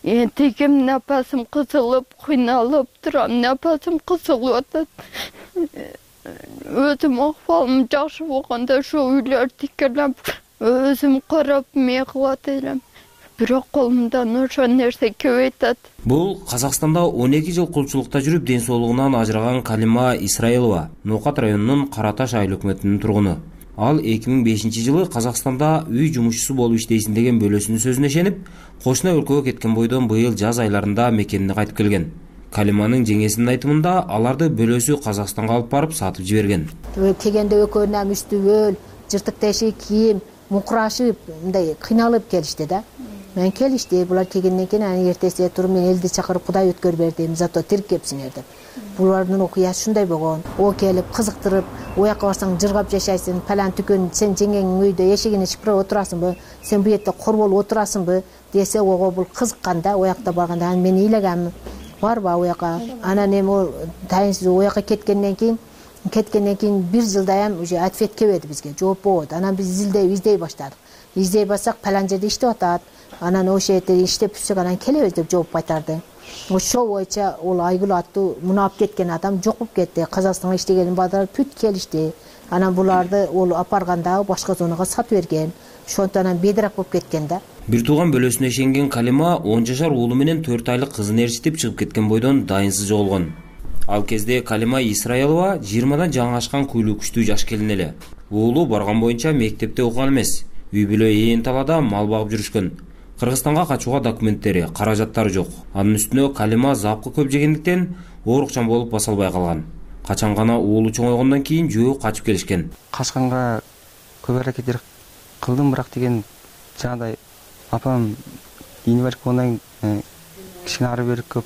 [SPEAKER 21] Энтигим напасым кысылып, кыйналып турам, напасым кысылып атат. Өзүм акыбалым жакшы болгондо ошо үйлөрдү тикелеп, өзүм карап эмне кылат элем. Бирок колумдан ошо нерсе келбей атат.
[SPEAKER 22] Бул Казакстанда он эки жыл кулчулукта жүрүп ден соолугунан ажыраган Калима Исраилова, Ноокат районунун Кара Таш айыл өкмөтүнүн тургуну. Ал эки миң бешинчи жылы Казакстанда үй жумушчусу болуп иштейсин деген бөлөсүнүн сөзүнө ишенип, кошуна өлкөгө кеткен бойдон быйыл жаз айларында мекенине кайтып келген. Калиманын жеңесинин айтымында аларды бөлөсү Казакстанга алып барып сатып жиберген.
[SPEAKER 23] Келгенде экөөнүн үстүбөл, жыртык тешик кийим, мукурашып, мындай кыйналып келишти да. Мен келишти, булар келгенден кийин анан эртеси туруп мен элди чакырып Кудай өткөр бердим, зато тирип кепсиңер деп. Булардын окуясы шундай болгон. О келип кызыктырып, ояка барсаң жыргап жашайсың, палан түкөн сен жеңеңнин үйдө эшигин ичип отурасыңбы, сен бу жерде кор болуп отурасыңбы десе, ого бул кызыкканда, оякта барганда анан мен ыйлаганмын. Барбы ояка? Анан эми ол тайынсыз ояка кеткенден кийин кеткенден кийин бир жылдаям уже ответ келбеди бизге, жооп болбоду. Анан биз издей издей баштадык. Издей бассак палан жерде иштеп атат. Анан ошол жерде иштеп түшсөк анан келебиз деп жооп кайтарды. Ошол боюнча ол Айгүл аттуу муну алып кеткен адам жок болуп кетти. Казакстанга иштеген балдар бүт келишти. Анан буларды ол апарганда башка зонага сатып берген. Ошондон анан бедерак болуп кеткен да.
[SPEAKER 22] Бир тууган бөлөсүнө ишенген Калима он жашар уулу менен төрт айлык кызын ээрчитип чыгып кеткен бойдон дайынсыз жоголгон. Ал кезде Калима Исраилова жыйырмадан жаңы ашкан куйлуу күчтүү жаш келин эле. Уулу барган боюнча мектепте окуган эмес. Үй бүлө ээн талаада мал багып жүрүшкөн. Кыргызстанга качууга документтери, каражаттары жок. Анын үстүнө Калима запкы көп жегендиктен оорукчан болуп баса албай калган. Качан гана уулу чоңойгондон кийин жөө качып келишкен.
[SPEAKER 24] Качканга көп аракеттер кылдым, бирок деген жагдай апам инвалид болгондон кийин кичине ары бери көп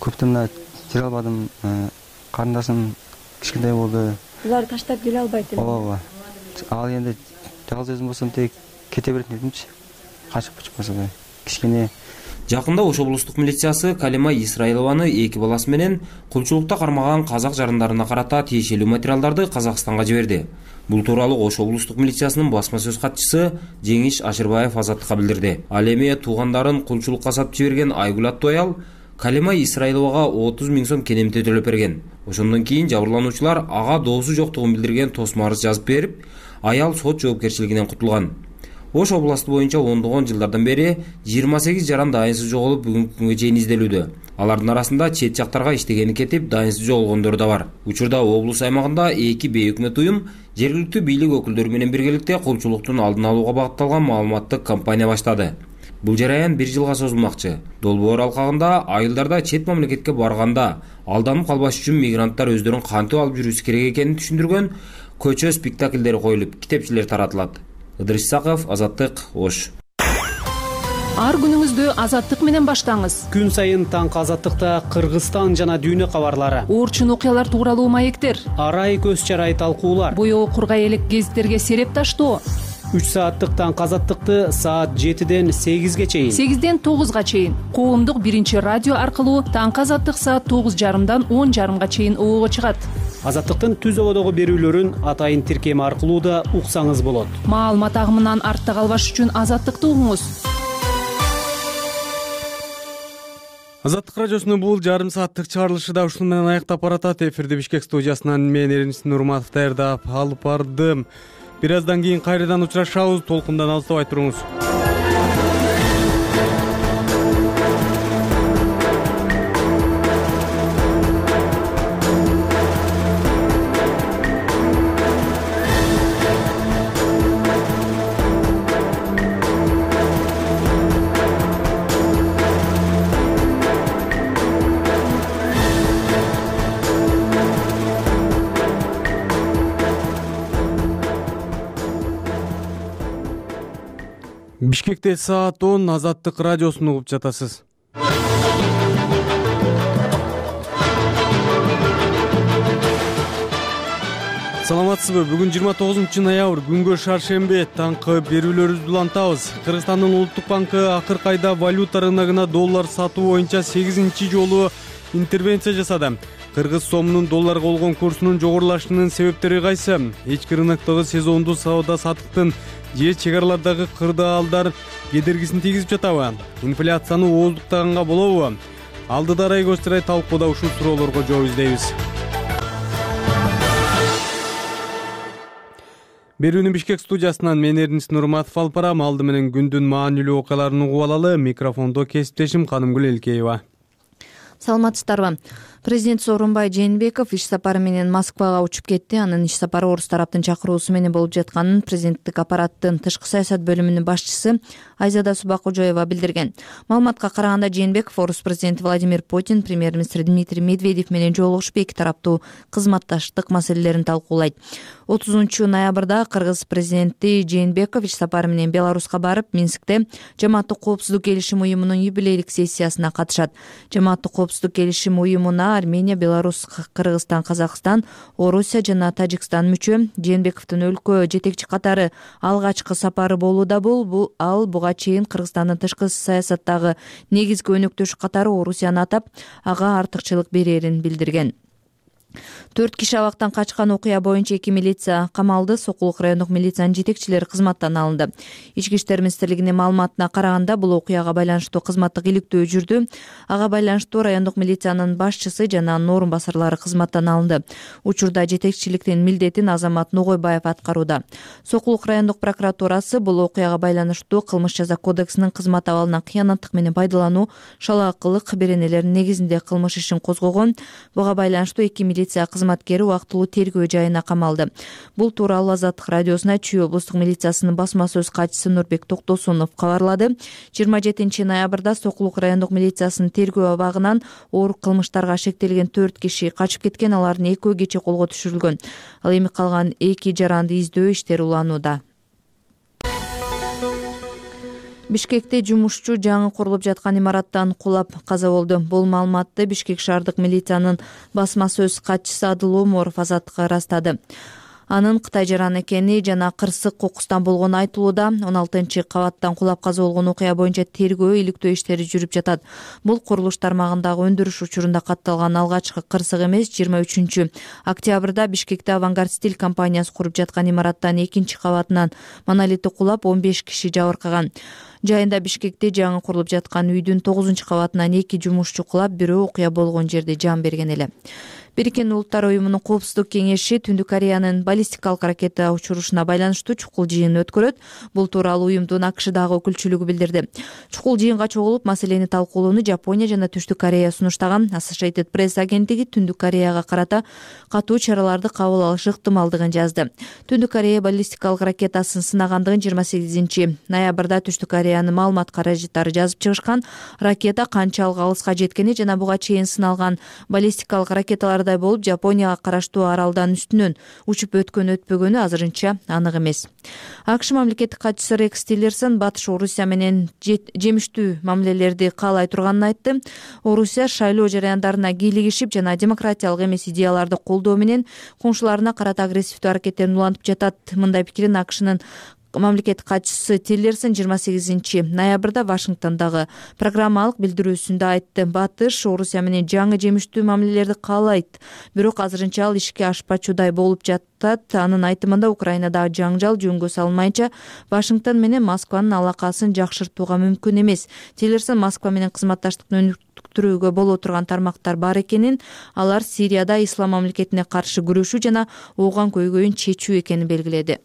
[SPEAKER 24] көптөн мына жүре албадым. Карындашым кичинекей болду.
[SPEAKER 21] Булар таштап келе албайт эле.
[SPEAKER 24] Ооба. Ал эми жалгыз өзүм болсом тек кете берет дедимчи. Качып кучуп калса да кичине.
[SPEAKER 22] Жакында Ош облустук милициясы Калима Исраилованы эки баласы менен кулчулукта кармаган казак жарандарына карата тиешелүү материалдарды Казакстанга жиберди. Бул тууралуу Ош облустук милициясынын басма сөз катчысы Жеңиш Ашырбаев Азаттыкка билдирди. Ал эми туугандарын кулчулукка сатып жиберген Айгүл аттуу аял Калима Исраиловага отуз миң сом кенемте төлөп берген. Ошондон кийин жабырлануучулар ага доосу жоктугун билдирген тосмо арыз жазып берип, аял сот жоопкерчилигинен кутулган. Ош областы боюнча ондогон жылдардан бери жыйырма сегиз жаран дайынсыз жоголуп бүгүнкү күнгө чейин изделүүдө. Алардын арасында чет жактарга иштегени кетип, дайынсыз жоголгондор да бар. Учурда облус аймагында эки бейөкмөт уюм жергиликтүү бийлик өкүлдөрү менен биргеликте кулчулуктун алдын алууга багытталган маалыматтык кампания баштады. Бул жараян бир жылга созулмакчы. Долбоор алкагында айылдарда чет мамлекетке барганда алданып калбаш үчүн мигранттар өздөрүн кантип алып жүрүшү керек экенин түшүндүргөн көчө спектакльдери коюлуп, китепчелер таратылат. Ыдырыс Исаков, Азаттык, Ош.
[SPEAKER 25] Ар күнүңүздү Азаттык менен баштаңыз.
[SPEAKER 26] Күн сайын таңкы Азаттыкта Кыргызстан жана дүйнө кабарлары,
[SPEAKER 25] орчун окуялар тууралуу маектер,
[SPEAKER 26] арай көз чарай талкуулар,
[SPEAKER 25] боёу кургай элек гезиттерге сереп таштоо.
[SPEAKER 26] үч сааттык таңкы Азаттыкты саат жетиден сегизге чейин,
[SPEAKER 25] сегизден тогузга чейин коомдук биринчи радио аркылуу таңкы Азаттык саат тогуз жарымдан он жарымга чейин оого чыгат.
[SPEAKER 26] Азаттыктын түз ободогу берүүлөрүн атайын тиркеми аркылуу да уксаңыз болот.
[SPEAKER 25] Маалымат агымынан артта калбаш үчүн Азаттыкты угуңуз.
[SPEAKER 1] Азаттык радиосунун бул жарым сааттык чыгарылышы да ушуну менен аяктап баратат. Эфирди Бишкек студиясынан мен Эринис Нурматов даярдап алып бардым. Бир аздан кийин кайрадан учурашабыз. Толкундан алыстабай туруңуз. Бишкекте саат он. Азаттык радиосун угуп жатасыз. Саламатсызбы? Бүгүн жыйырма тогузунчу ноябрь, күнгө шаршембе. Таңкы берүүлөрүбүздү улантабыз. Кыргызстандын улуттук банкы акыркы айда валюта рыногуна доллар сатуу боюнча сегизинчи жолу интервенция жасады. Кыргыз сомунун долларга болгон курсунун жогорулашынын себептери кайсы? Ички рыноктогу сезондуу сауда саттыктын же чек аралардагы кырдаалдар кедергисин тийгизип жатабы? Инфляцияны ооздуктаганга болобу? Алдыда Арай Көстөрай талкууда ушул суроолорго жооп издейбиз. Берүүнү Бишкек студиясынан мен Эринис Нурматов алып барам. Алды менен күндүн маанилүү окуяларын угуп алалы. Микрофондо кесиптешим Канымгүл Элкеева.
[SPEAKER 2] Саламатсыздарбы? Президент Сооронбай Жээнбеков иш сапары менен Москвага учуп кетти. Анын иш сапары орус тараптын чакыруусу менен болуп жатканын президенттик аппараттын тышкы саясат бөлүмүнүн башчысы Айзада Субакожоева билдирген. Маалыматка караганда, Жээнбеков орус президенти Владимир Путин, премьер-министр Дмитрий Медведев менен жолугушуп, эки тараптуу кызматташтык маселелерин талкуулайт. отузунчу ноябрда кыргыз президенти Жээнбеков иш сапары менен Беларуска барып, Минскте Жамааттык коопсуздук келишим уюмунун юбилейлик сессиясына катышат. Жамааттык коопсуздук келишим уюмуна Армения, Беларусь, Кыргызстан, Казакстан, Орусия жана Тажикстан мүчө. Жээнбековдун өлкө жетекчи катары алгачкы сапары болууда. Бул бул ал буга чейин Кыргызстандын тышкы саясаттагы негизги өнөктөшү катары Орусияны атап, ага артыкчылык берерин билдирген. Төрт киши абактан качкан окуя боюнча эки милиция камалды. Сокулук райондук милициянын жетекчилери кызматтан алынды. Ички иштер министрлигинин маалыматына караганда, бул окуяга байланыштуу кызматтык иликтөө жүрдү. Ага байланыштуу райондук милициянын башчысы жана анын орун басарлары кызматтан алынды. Учурда жетекчиликтин милдетин Азамат Ногойбаев аткарууда. Сокулук райондук прокуратурасы бул окуяга байланыштуу кылмыш жаза кодексинин кызмат абалынан кыянаттык менен пайдалануу, шалаакылык беренелеринин негизинде кылмыш ишин козгогон. Буга байланыштуу эки милиция кызматкери убактылуу тергөө жайына камалды. Бул тууралуу Азаттык радиосуна Чүй облустук милициясынын басма сөз катчысы Нурбек Токтосунов кабарлады. жыйырма жетинчи ноябрда Сокулук райондук милициясынын тергөө абагынан оор кылмыштарга шектелген төрт киши качып кеткен. Алардын экөө кечээ колго түшүрүлгөн. Ал эми калган эки жаранды издөө иштери уланууда. Бишкекте жумушчу жаңы курулуп жаткан имараттан кулап каза болду. Бул маалыматты Бишкек шаардык милициянын басма сөз катчысы Адыл Оморов Азаттыкка ырастады. Анын Кытай жараны экени жана кырсык кокустан болгону айтылууда. он алтынчы кабаттан кулап каза болгон окуя боюнча тергөө, иликтөө иштери жүрүп жатат. Бул курулуш тармагындагы өндүрүш учурунда катталган алгачкы кырсык эмес. жыйырма үчүнчү октябрда Бишкекте Авангард стиль компаниясы куруп жаткан имараттан экинчи кабатынан монолити кулап, он беш киши жабыркаган. Жайында Бишкекте жаңы курулуп жаткан үйдүн тогузунчу кабатынан эки жумушчу кулап, бирөө окуя болгон жерде жан берген эле. Бириккен Улуттар уюмунун коопсуздук кеңеши Түндүк Кореянын баллистикалык ракета учурушуна байланыштуу чукул жыйын өткөрөт. Бул тууралуу уюмдун АКШдагы өкүлчүлүгү билдирди. Чукул жыйынга чогулуп, маселени талкуулоону Жапония жана Түштүк Корея сунуштаган. Associated Press агенттиги Түндүк Кореяга карата катуу чараларды кабыл алышы ыктымалдыгын жазды. Түндүк Корея баллистикалык ракетасын сынагандыгын жыйырма сегизинчи ноябрда Түштүк Кореянын маалымат каражаттары жазып чыгышкан. Ракета канчалык алыска жеткени жана буга чейин сыналган баллистикалык ракеталар болуп, Жапонияга караштуу аралдан үстүнөн учуп өткөн өтпөгөнү азырынча анык эмес. АКШ мамлекеттик катчысы Рекс Тиллерсон Батыш Орусия менен жемиштүү мамилелерди каалай турганын айтты. Орусия шайлоо жараяндарына кийлигишип жана демократиялык эмес идеяларды колдоо менен коңшуларына карата агрессивдүү аракеттерин улантып жатат. Мындай пикирин АКШнын мамлекет катчысы Тиллерсон жыйырма сегизинчи ноябрда Вашингтондогу программалык билдирүүсүндө айтты. Батыш Орусия менен жаңы жемиштүү мамилелерди каалайт, бирок азырынча ал ишке ашпачудай болуп жатат. Анын айтымында Украинадагы жаңжал жөнгө салынмайынча Вашингтон менен Москванын алакасын жакшыртууга мүмкүн эмес. Тиллерсон Москва менен кызматташтыкты өнүктүрүүгө боло турган тармактар бар экенин, алар Сирияда ислам мамлекетине каршы күрөшүү жана ооган көйгөйүн чечүү экенин белгиледи.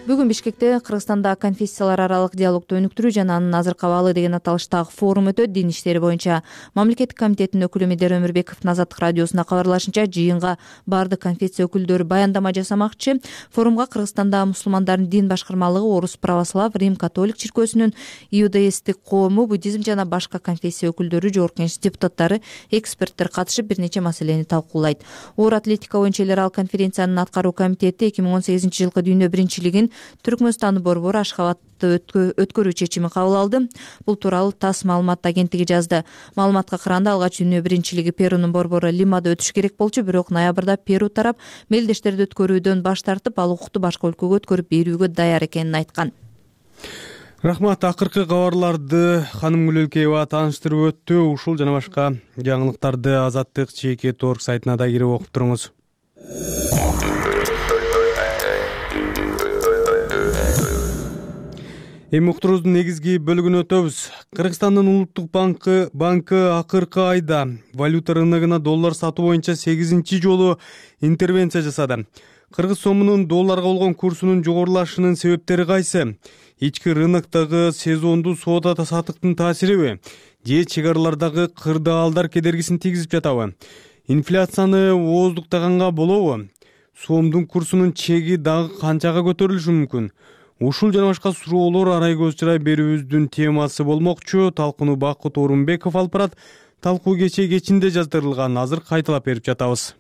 [SPEAKER 2] Бүгүн Бишкекте Кыргызстанда конфессиялар аралык диалогду өнүктүрүү жана анын азыркы абалы деген аталыштагы форум өтөт. Дин иштери боюнча мамлекеттик комитеттин өкүлү Медер Өмүрбековдун Азаттык радиосуна кабарлашынча, жыйынга баардык конфессия өкүлдөрү баяндама жасамакчы. Форумга Кыргызстанда мусулмандардын дин башкармалыгы, Орус православ, Рим католик чиркөөсүнүн, иудаисттик коому, буддизм жана башка конфессия өкүлдөрү, жогорку кеңеш депутаттары, эксперттер катышып бир нече маселени талкуулайт. Оор атлетика боюнча эл аралык конференциянын аткаруу комитети эки миң он сегизинчи жылкы дүйнө биринчилигин Түркмөнстандын борбору Ашхабадта өткөрүү чечимин кабыл алды. Бул тууралуу ТАСС маалымат агенттиги жазды. Маалыматка караганда, алгач дүйнө биринчилиги Перунун борбору Лимада өтүш керек болчу, бирок ноябрда Перу тарап мелдештерди өткөрүүдөн баш тартып, ал укукту башка өлкөгө өткөрүп берүүгө даяр экенин айткан.
[SPEAKER 1] Рахмат. Акыркы кабарларды Ханым Гүлөлкеева тааныштырып өттү. Ушул жана башка жаңылыктарды Азаттык чекит орг сайтына да кирип окуп туруңуз. Эми уктуруубуздун негизги бөлүгүнө өтөбүз. Кыргызстандын улуттук банкы банкы акыркы айда валюта рыногуна доллар сатуу боюнча сегизинчи жолу интервенция жасады. Кыргыз сомунун долларга болгон курсунун жогорулашынын себептери кайсы? Ички рыноктогу сезондуу соода сатыктын таасириби? Же чек аралардагы кырдаалдар кедергисин тийгизип жатабы? Инфляцияны ооздуктаганга болобу? Сомдун курсунун чеги дагы канчага көтөрүлүшү мүмкүн? Ушул жана башка суроолор арай көз чырай берүүбүздүн темасы болмокчу. Талкууну Бакыт Орунбеков алып барат. Талкуу кечээ кечинде жаздырылган, азыр кайталап берип жатабыз.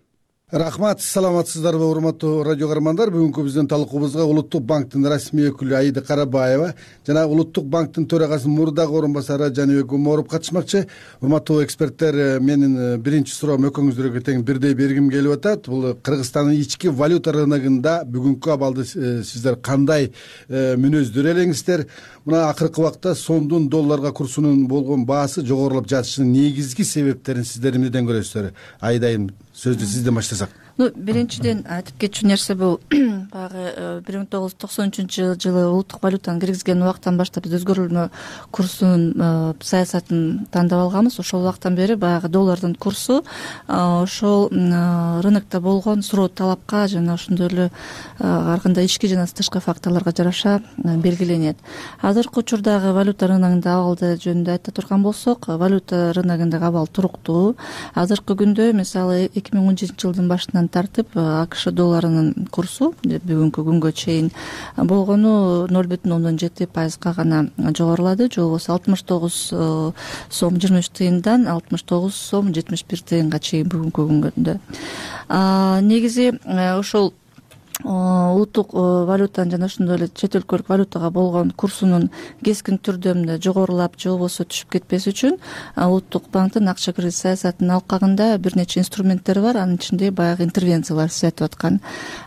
[SPEAKER 4] Рахмат, саламатсыздарбы урматтуу радио каармандар. Бүгүнкү биздин талкуубузга Улуттук банктын расмий өкүлү Аида Карабаева жана Улуттук банктын төрагасынын мурдагы орун басары Жаныбек Умаров катышмакчы. Урматтуу эксперттер, менин биринчи суроом экөөңүздөргө тең бирдей бергим келип атат. Бул Кыргызстандын ички валюта рыногунда бүгүнкү абалды сиздер кандай мүнөздөр элеңиздер? Мына акыркы убакта сомдун долларга курсунун болгон баасы жогорулап жатышынын негизги себептерин сиздер эмнеден көрөсүздөр? Айдайым, сөздү сизден баштасак.
[SPEAKER 5] Ну, биринчиден айтып кетчү нерсе бул баягы бир миң тогуз жүз токсон үчүнчү жылы улуттук валютаны киргизген убактан баштап биз өзгөрүлмө курсунун саясатын тандап алганбыз. Ошол убактан бери баягы доллардын курсу ошол рынокто болгон суроо талапка жана ошондой эле ар кандай ички жана тышкы факторлорго жараша белгиленет. Азыркы учурдагы валюта рыногунда абалды жөнүндө айта турган болсок, валюта рыногундагы абал туруктуу. Азыркы күндө мисалы эки миң он жетинчи жылдын башынан тартып АКШ долларынын курсу бүгүнкү күнгө чейин болгону ноль бүтүн ондон жети пайызга гана жогорулады. Же болбосо алтымыш тогуз сом жыйырма үч тыйындан алтымыш тогуз сом жетимиш бир тыйынга чейин бүгүнкү күндө. Негизи ошол улуттук валютанын жана ошондой эле чет өлкөлүк валютага болгон курсунун кескин түрдө мындай жогорулап же болбосо түшүп кетпеш үчүн улуттук банктын акча кредит саясатынын алкагында бир нече инструменттери бар. Анын ичинде баягы интервенциялар сиз айтып аткан.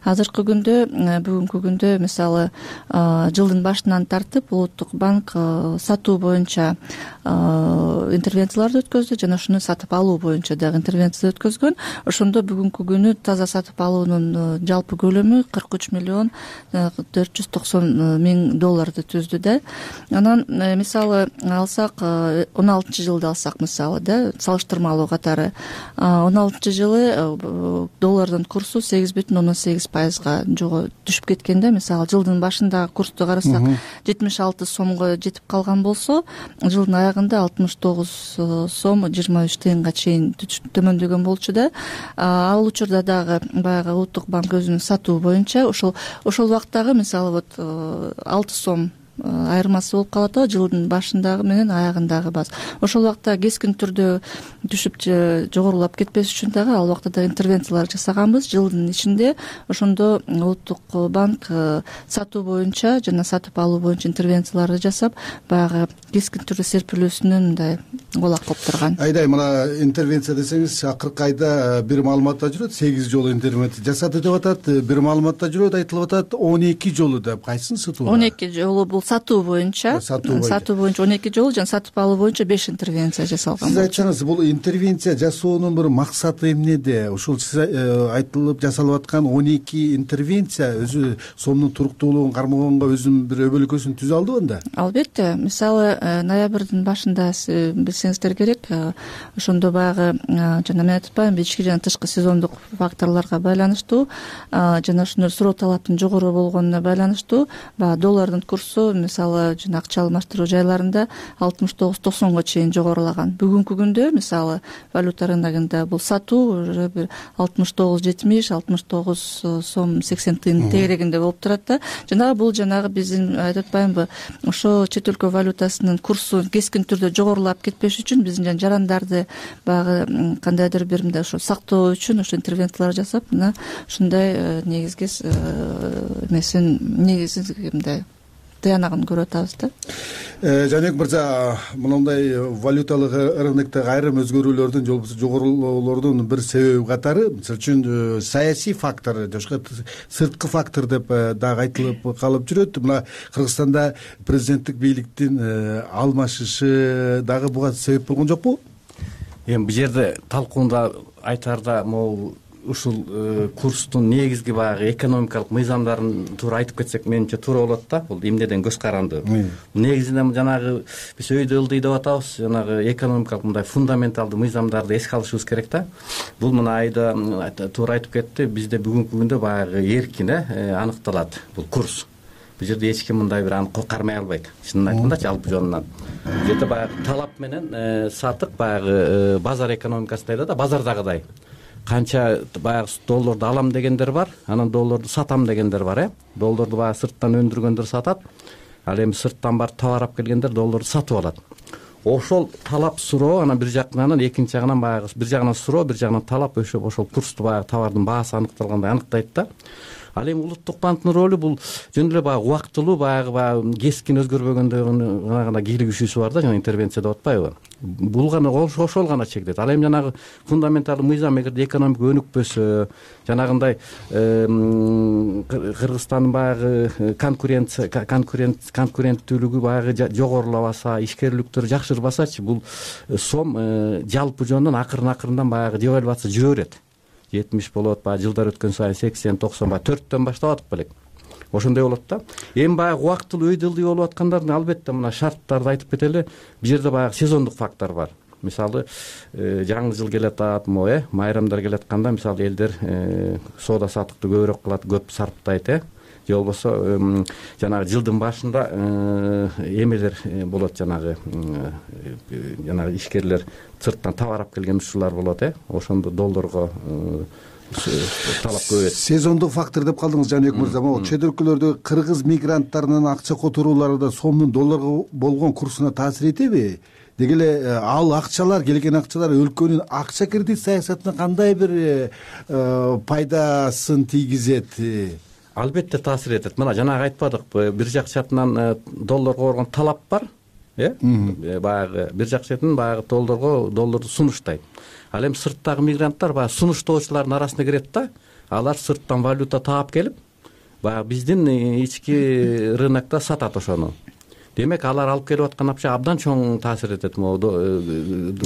[SPEAKER 5] Азыркы күндө бүгүнкү күндө мисалы жылдын башынан тартып улуттук банк сатуу боюнча интервенцияларды өткөздү жана ошону сатып алуу боюнча дагы интервенция өткөзгөн. Ошондо бүгүнкү күнү таза сатып алуунун жалпы көлөмү кырк үч миллион төрт жүз токсон миң долларды түздү да. Анан мисалы алсак, он алтынчы жылды алсак мисалы да, салыштырмалуу катары он алтынчы жылы доллардын курсу сегиз бүтүн ондон сегиз пайызга түшүп кеткен да. Мисалы жылдын башындагы курсту карасак жетимиш алты сомго жетип калган болсо, жылдын аягында алтымыш тогуз сом жыйырма үч тыйынга чейин төмөндөгөн болчу да. Ал учурда дагы баягы улуттук банк өзүнүн сатуу боюнча ошол ошол убактагы мисалы вот алты сом айырмасы болуп калат да, жылдын башындагы менен аягындагы баз. Ошол убакта кескин түрдө түшүп жогорулап кетпеш үчүн дагы ал убакта да интервенциялар жасаганбыз. Жылдын ичинде ошондо улуттук банк сатуу боюнча жана сатып алуу боюнча интервенцияларды жасап, баягы кескин түрдө серпилүүсүнүн мындай колак кылып турган.
[SPEAKER 4] Айдай мына интервенция десеңиз акыркы айда бир маалыматта жүрөт сегиз жолу интервенция жасады деп атат, бир маалыматта жүрөт айтылып атат он эки жолу деп. Кайсын сатуу?
[SPEAKER 5] он эки жолу бул сатуу боюнча. Сатуу боюнча он эки жолу, жана сатып алуу боюнча беш интервенция жасалган.
[SPEAKER 4] Сиз айтсаңыз, бул интервенция жасоонун бир максаты эмнеде? Ушул сиз айтылып жасалып аткан он эки интервенция өзү сомдун туруктуулугун кармагонго өзүнүн бир өбөлөкөсүн түзө алдыбы анда?
[SPEAKER 5] Албетте. Мисалы ноябрдын башында билсеңиздер керек, ошондо баягы жана мен айтып атпаймынбы, ички жана тышкы сезондук факторлорго байланыштуу жана ушундай суроо талаптын жогору болгонуна байланыштуу баягы доллардын курсу мисалы жана акча алмаштыруу жайларында алтымыш тогуз токсонго чейин жогорулаган. Бүгүнкү күндө мисалы валюта рыногунда бул сатуу уже бир алтымыш тогуз жетимиш, алтымыш тогуз сом сексен тыйын тегерегинде болуп турат да. Жанагы бул жанагы биздин айтып атпаймынбы, ошо чет өлкө валютасынын курсу кескин түрдө жогорулап кетпеш үчүн биздин жана жарандарды баягы кандайдыр бир мындай ошо сактоо үчүн ошо интервенциялар жасап, мына ушундай негизги эмесин негизги мындай тыянагын көрүп атабыз да.
[SPEAKER 4] Жаныбек мырза, мындай валюталык рыноктогу айрым өзгөрүүлөрдүн же болбосо жогорулоолордун бир себеби катары, мисалы үчүн саясий фактор, жашка сырткы фактор деп дагы айтылып калып жүрөт. Мына Кыргызстанда президенттик бийликтин алмашышы дагы буга себеп болгон жокпу?
[SPEAKER 6] Эми бул жерде талкуунда айтаарда могу ушул курстун негизги баягы экономикалык мыйзамдарын туура айтып кетсек менимче туура болот да. Бул эмнеден көз каранды. Негизинен жанагы биз өйдө ылдый деп атабыз, жанагы экономикалык мындай фундаменталдуу мыйзамдарды эске алышыбыз керек да. Бул мына айда туура айтып кетти, бизде бүгүнкү күндө баягы эркин аныкталат бул курс. Бул жерде эч ким мындай бир аны кармай албайт. Чынын айтканда жалпы жонунан. Бул жерде баягы талап менен сатык баягы базар экономикасында да, базардагыдай. Канча баягы долларды алам дегендер бар, анан долларды сатам дегендер бар, э. Долларды баягы сырттан өндүргөндөр сатат, ал эми сырттан барып товар алып келгендер долларды сатып алат. Ошол талап суроо, анан бир жагынан экинчи жагынан баягы бир жагынан суроо, бир жагынан талап ошо ошол курсту баягы товардын баасы аныкталгандай аныктайт да. Ал эми улуттук банктын ролу бул жөн эле баягы убактылуу, баягы баягы кескин өзгөрбөгөндөгүнө гана кийлигишүүсү бар да, жана интервенция деп атпайбы? Бул гана ошол гана чектейт. Ал эми жанагы фундаменталдуу мыйзам эгерде экономика өнүкпөсө, жанагындай Кыргызстандын баягы конкуренция конкуренттүүлүгү баягы жогорулабаса, ишкерликтөр жакшырбасачы, бул сом жалпы жонунан акырын акырындан баягы девальвация жүрө берет. жетимиш болот, баягы жылдар өткөн сайын сексен, токсон, баягы төрттөн баштап атып белек. Ошондой болот да. Эми баягы убактылуу өйдөлдүй болуп аткандардын албетте мына шарттарды айтып кетели. Бул жерде баягы сезондук фактор бар. Мисалы, жаңы жыл келатат, мо э, майрамдар келатканда мисалы элдер соода саттыкты көбүрөөк кылат, көп сарптайт, э. Же болбосо жанагы жылдын башында эмелер болот, жанагы жанагы ишкерлер сырттан товар алып келген ушулар болот, э. Ошондо долларга талап көбөйөт.
[SPEAKER 4] Сезондук фактор деп калдыңыз Жаныбек мырза. Могу чет өлкөлөрдө кыргыз мигранттарынын акча которуулары да сомдун долларга болгон курсуна таасир этеби? Деги эле ал акчалар, келген акчалар өлкөнүн акча кредит саясатына кандай бир пайдасын тийгизет?
[SPEAKER 6] Албетте таасир этет. Мына жанагы айтпадыкпы, бир жак шартынан долларга болгон талап бар, э? Баягы бир жак шартынан баягы долларга долларды сунуштайт. Ал эми сырттагы мигранттар баягы сунуштоочулардын арасына кирет да. Алар сырттан валюта таап келип, баягы биздин ички рынокто сатат ошону. Демек, алар алып келип аткан акча абдан чоң таасир этет, могу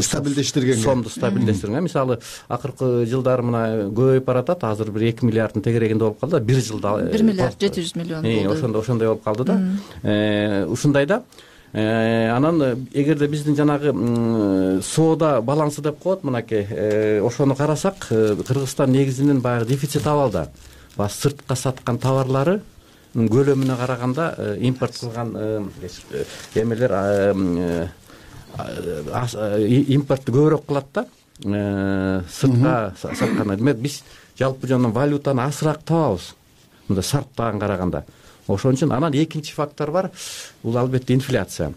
[SPEAKER 4] стабилдештиргенге.
[SPEAKER 6] Сомду стабилдештиргенге. Мисалы, акыркы жылдары мына көбөйүп баратат, азыр бир эки миллиарддын тегерегинде болуп калды. бир жылда
[SPEAKER 5] бир миллиард жети жүз миллион болду.
[SPEAKER 6] Ошондой ошондой болуп калды да. Ушундайда анан эгерде биздин жанагы соода балансы деп коет, мынакей ошону карасак, Кыргызстан негизинен баягы дефицит абалда. Баягы сыртка саткан товарлары көлөмүнө караганда импорт кылган эмелер импортты көбүрөөк кылат да, сыртка саткандан. Демек, биз жалпы жонунан валютаны азыраак табабыз, мындай сарптаган караганда. Ошон үчүн анан экинчи фактор бар, бул албетте инфляция.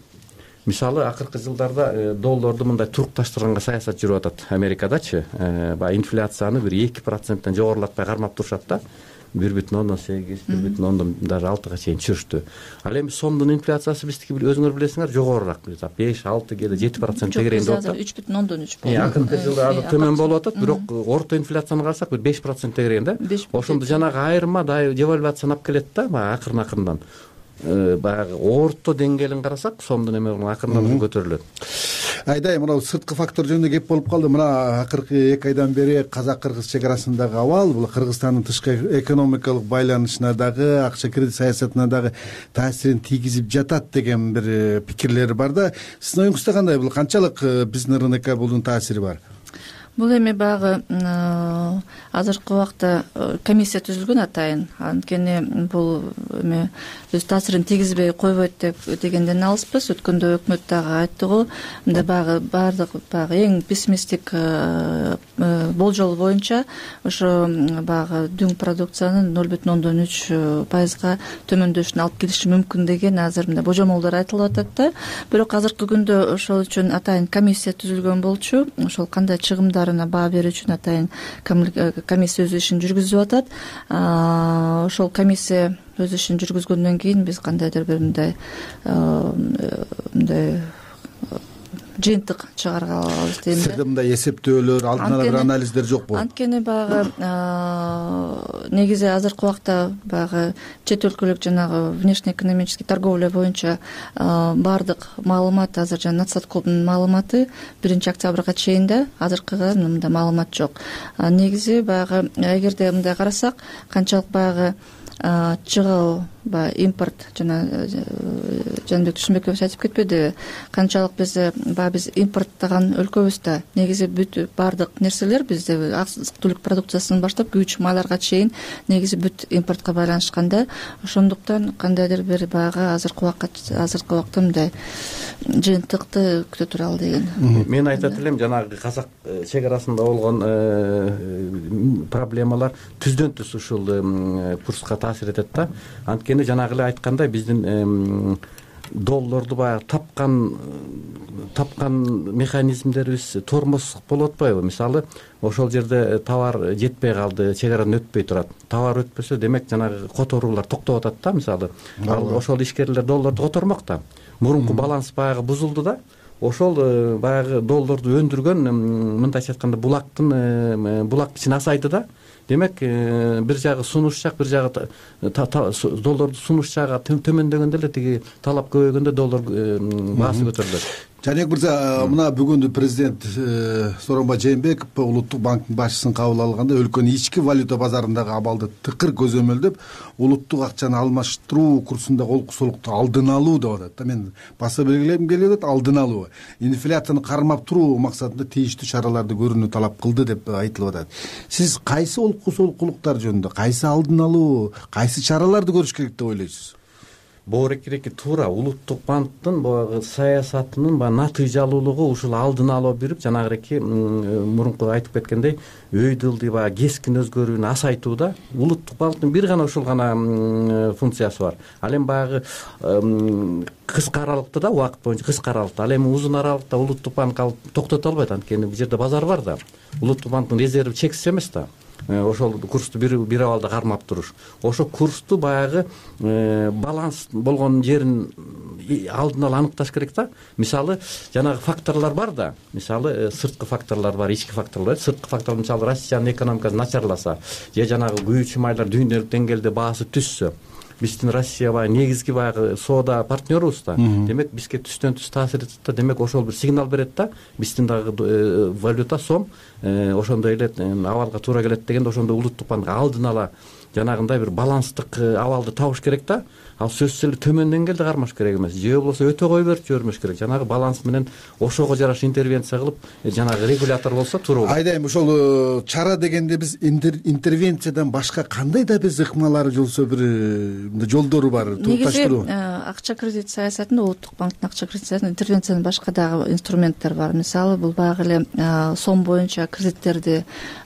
[SPEAKER 6] Мисалы, акыркы жылдарда долларды мындай турукташтырганга саясат жүрүп атат Америкадачы. Баягы инфляцияны бир эки проценттен жогорулатпай кармап турушат да. бир бүтүн ондон сегиз бир бүтүн ондон даже алтыга чейин түшүрүштү. Ал эми сомдун инфляциясы биздики өзүңөр билесиңер жогорураак, беш алты кээде жети процент тегерегинде болуп атат.
[SPEAKER 5] үч бүтүн ондон үч болду.
[SPEAKER 6] Акыркы жылы азыр төмөн болуп атат, бирок орто инфляцияны карасак бир беш процент тегерегинде. Ошондо жанагы айырма девальвацияны алып келет да, баягы акырын акырындан. Баягы орто деңгээлин карасак сомдун эме акырындан көтөрүлөт.
[SPEAKER 4] Айдай, мына сырткы фактор жөнүндө кеп болуп калды. Мына акыркы эки айдан бери казак-кыргыз чек арасындагы абал, бул Кыргызстандын тышкы экономикалык байланышына дагы, акча кредит саясатына дагы таасирин тийгизип жатат деген бир пикирлер бар да. Сиздин оюңузда кандай, бул канчалык биздин рынокко бунун таасири бар?
[SPEAKER 5] Бул эми баягы азыркы убакта комиссия түзүлгөн атайын. Анткени бул эми өз таасирин тийгизбей койбойт деп дегенден алыспыз. Өткөндө өкмөт дагы айтты го, мындай баягы баардык баягы эң пессимисттик болжол боюнча ошо баягы дүң продукциянын ноль бүтүн ондон үч пайызга төмөндөшүнө алып келиши мүмкүн деген азыр мындай божомолдор айтылып атат да. Бирок азыркы күндө ошол үчүн атайын комиссия түзүлгөн болчу. Ошол кандай чыгымдар баа берүү үчүн атайын комиссия өз ишин жүргүзүп атат. Ошол комиссия өз ишин жүргүзгөндөн кийин биз кандайдыр бир мындай мындай жыйынтык чыгарга алабыз дейм да.
[SPEAKER 4] Сизде мындай эсептөөлөр, алдын ала бир анализдер жокпу?
[SPEAKER 5] Анткени баягы негизи азыркы убакта баягы чет өлкөлүк жанагы внешнеэкономический торговля боюнча баардык маалымат азыр жана Натсаткомдун маалыматы биринчи октябрга чейин да, азыркыга мындай маалымат жок. Негизи баягы эгерде мындай карасак, канчалык баягы чыгуу баягы импорт жана Жанбек Түшүнбекович айтып кетпедиби, канчалык биз баягы биз импорттогон өлкөбүз да. Негизи бүт баардык нерселер бизде азык-түлүк продукциясынан баштап күйүүчү майларга чейин негизи бүт импортко байланышкан да. Ошондуктан кандайдыр бир баягы азыркы убакта азыркы убакта мындай жыйынтыкты күтө туралы деген.
[SPEAKER 6] Мен айтат элем, жанагы казак чек арасында болгон проблемалар түздөн түз ушул курска таасир этет да. Анткени жанагы эле айткандай биздин доллорду баягы тапкан тапкан механизмдерибиз тормоз болуп атпайбы? Мисалы, ошол жерде товар жетпей калды, чек арадан өтпөй турат. Товар өтпөсө, демек жанагы которуулар токтоп атат да, мисалы. Ал ошол ишкерлер доллорду котормок да. Мурунку баланс баягы бузулду да. Ошол баягы доллорду өндүргөн, мындайча айтканда, булактын булак ичин азайды да. Демек, бир жагы сунуш жак, бир жагы доллорду сунуш жагы төмөндөгөндө эле тиги талап көбөйгөндө доллар баасы көтөрүлөт.
[SPEAKER 4] Жанек мырза, мына бүгүн президент Сооронбай Жээнбеков Улуттук банктын башчысын кабыл алганда өлкөнүн ички валюта базарындагы абалды тыкыр көзөмөлдөп, улуттук акчаны алмаштыруу курсундагы олкусулукту алдын алуу деп атат. Мен баса белгилегим келип атат, алдын алуу. Инфляцияны кармап туруу максатында тийиштүү чараларды көрүүнү талап кылды деп айтылып атат. Сиз кайсы олкусулуктар жөнүндө, кайсы алдын алуу, кайсы чараларды көрүш керек деп ойлойсуз?
[SPEAKER 6] Боорекиреки туура улуттук банктын баягы саясатынын баягы натыйжалуулугу ушул алдын алуу берип, жанагыреки мурунку айтып кеткендей, өйдө ылдый баягы кескин өзгөрүүнү асайтууда улуттук банктын бир гана ушул гана функциясы бар. Ал эми баягы кыска аралыкта да, убакыт боюнча кыска аралыкта, ал эми узун аралыкта улуттук банк алып токтото албайт, анткени бул жерде базар бар да. Улуттук банктын резерви чексиз эмес да. Ошол курсту бир бир абалда кармап туруш. Ошо курсту баягы баланс болгон жерин алдын ала аныкташ керек да. Мисалы, жанагы факторлор бар да. Мисалы, сырткы факторлор бар, ички факторлор. Сырткы фактор мисалы Россиянын экономикасы начарласа, же жанагы күйүүчү майлар дүйнөлүк деңгээлде баасы түшсө, биздин Россия баягы негизги баягы соода партнерубуз да. Демек бизге түстөн түз таасир этет да. Демек ошол бир сигнал берет да. Биздин дагы валюта сом ошондой эле абалга туура келет дегенде, ошондо улуттук банк алдын ала жанагындай бир баланстык абалды табыш керек да. Ал сөзсүз эле төмөн деңгээлде кармаш керек эмес. Же болбосо өтө кой берип жибермеш керек. Жанагы баланс менен ошого жараша интервенция кылып, жанагы регулятор болсо туура болот.
[SPEAKER 4] Айдайм, ошол чара дегенде биз интервенциядан башка кандай да биз ыкмалары болсо бир жолдору бар, турукташтыруу.
[SPEAKER 5] Негизи акча кредит саясатында улуттук банктын акча кредит саясатында интервенциядан башка дагы инструменттер бар. Мисалы, бул баягы эле сом боюнча кредиттерди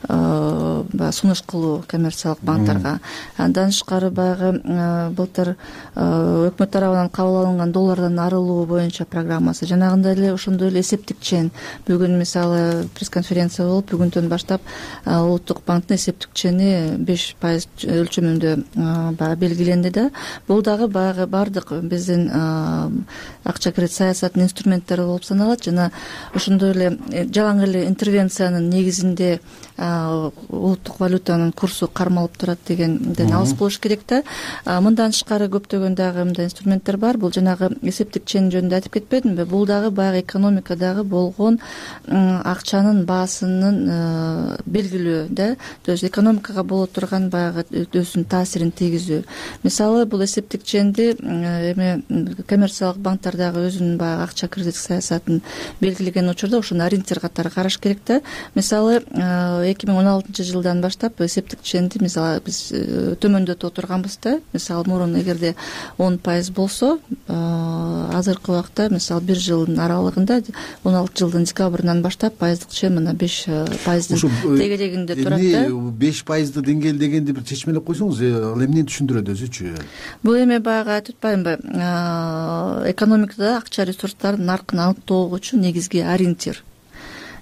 [SPEAKER 5] баягы сунуш кылуу коммерциялык банктарга. Андан тышкары баягы былтыр өкмөт тарабынан кабыл алынган доллардан арылуу боюнча программасы, жанагындай эле ошондой эле эсептик чен. Бүгүн мисалы пресс-конференция болуп, бүгүндөн баштап Улуттук банктын эсептик чени беш пайыз өлчөмүндө баягы белгиленди да. Бул дагы баягы баардык биздин акча кредит саясатынын инструменттери болуп саналат жана ошондой эле жалаң эле интервенциянын негизинде улуттук валютанын курсу кармалып турат дегенден алыс болуш керек да. Мындан тышкары көптөгөн дагы мындай инструменттер бар. Бул жанагы эсептик чен жөнүндө айтып кетпедимби? Бул дагы баягы экономикадагы болгон акчанын баасынын белгилөө да. То есть экономикага боло турган баягы өзүнүн таасирин тийгизүү. Мисалы бул эсептик ченди эме коммерциялык банктар дагы өзүнүн баягы акча кредит саясатын белгилеген учурда ошону ориентир катары караш керек да. Мисалы эки миң он алтынчы жылдан баштап эсептик ченди мисалы биз төмөндөтүп отурганбыз да. Мисалы мурун эгерде он пайыз болсо, азыркы убакта мисалы бир жылдын аралыгында он алты жылдын декабрынан баштап пайыздык чен мына беш пайыздын тегерегинде турат да.
[SPEAKER 4] беш пайызды деңгээл дегенди бир чечмелеп койсоңуз, ал эмнени түшүндүрөт өзүчү?
[SPEAKER 5] Бул эме баягы айтып атпаймынбы? Экономикада акча ресурстарынын наркын аныктоо үчүн негизги ориентир.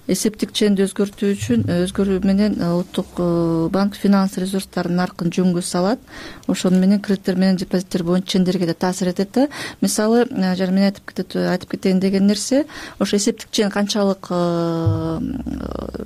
[SPEAKER 5] Эсептик ченди өзгөртүү үчүн өзгөрүү менен Улуттук банк финанс ресурстарынын наркын жөнгө салат. Ошону менен кредиттер менен депозиттер боюнча чендерге да таасир этет да. Мисалы, жана мен айтып кетет айтып кетейин деген нерсе, ошо эсептик чен канчалык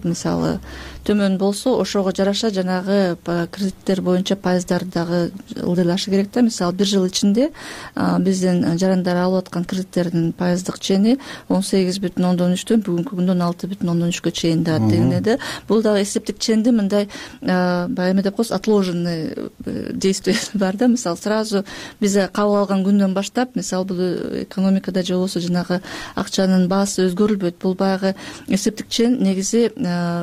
[SPEAKER 5] мисалы төмөн болсо, ошого жараша жанагы кредиттер боюнча пайыздар дагы ылдыйлашы керек да. Мисалы, бир жыл ичинде биздин жарандар алып аткан кредиттердин пайыздык чени он сегиз бүтүн ондон үчтөн бүгүнкү күндө он алты бүтүн ондон үчкө чейин да дегенде. Бул дагы эсептик ченди мындай баягы эме деп коебуз, отложенный действие бар да. Мисалы, сразу биз кабыл алган күндөн баштап, мисалы, бул экономикада же болбосо жанагы акчанын баасы өзгөрүлбөйт. Бул баягы эсептик чен негизи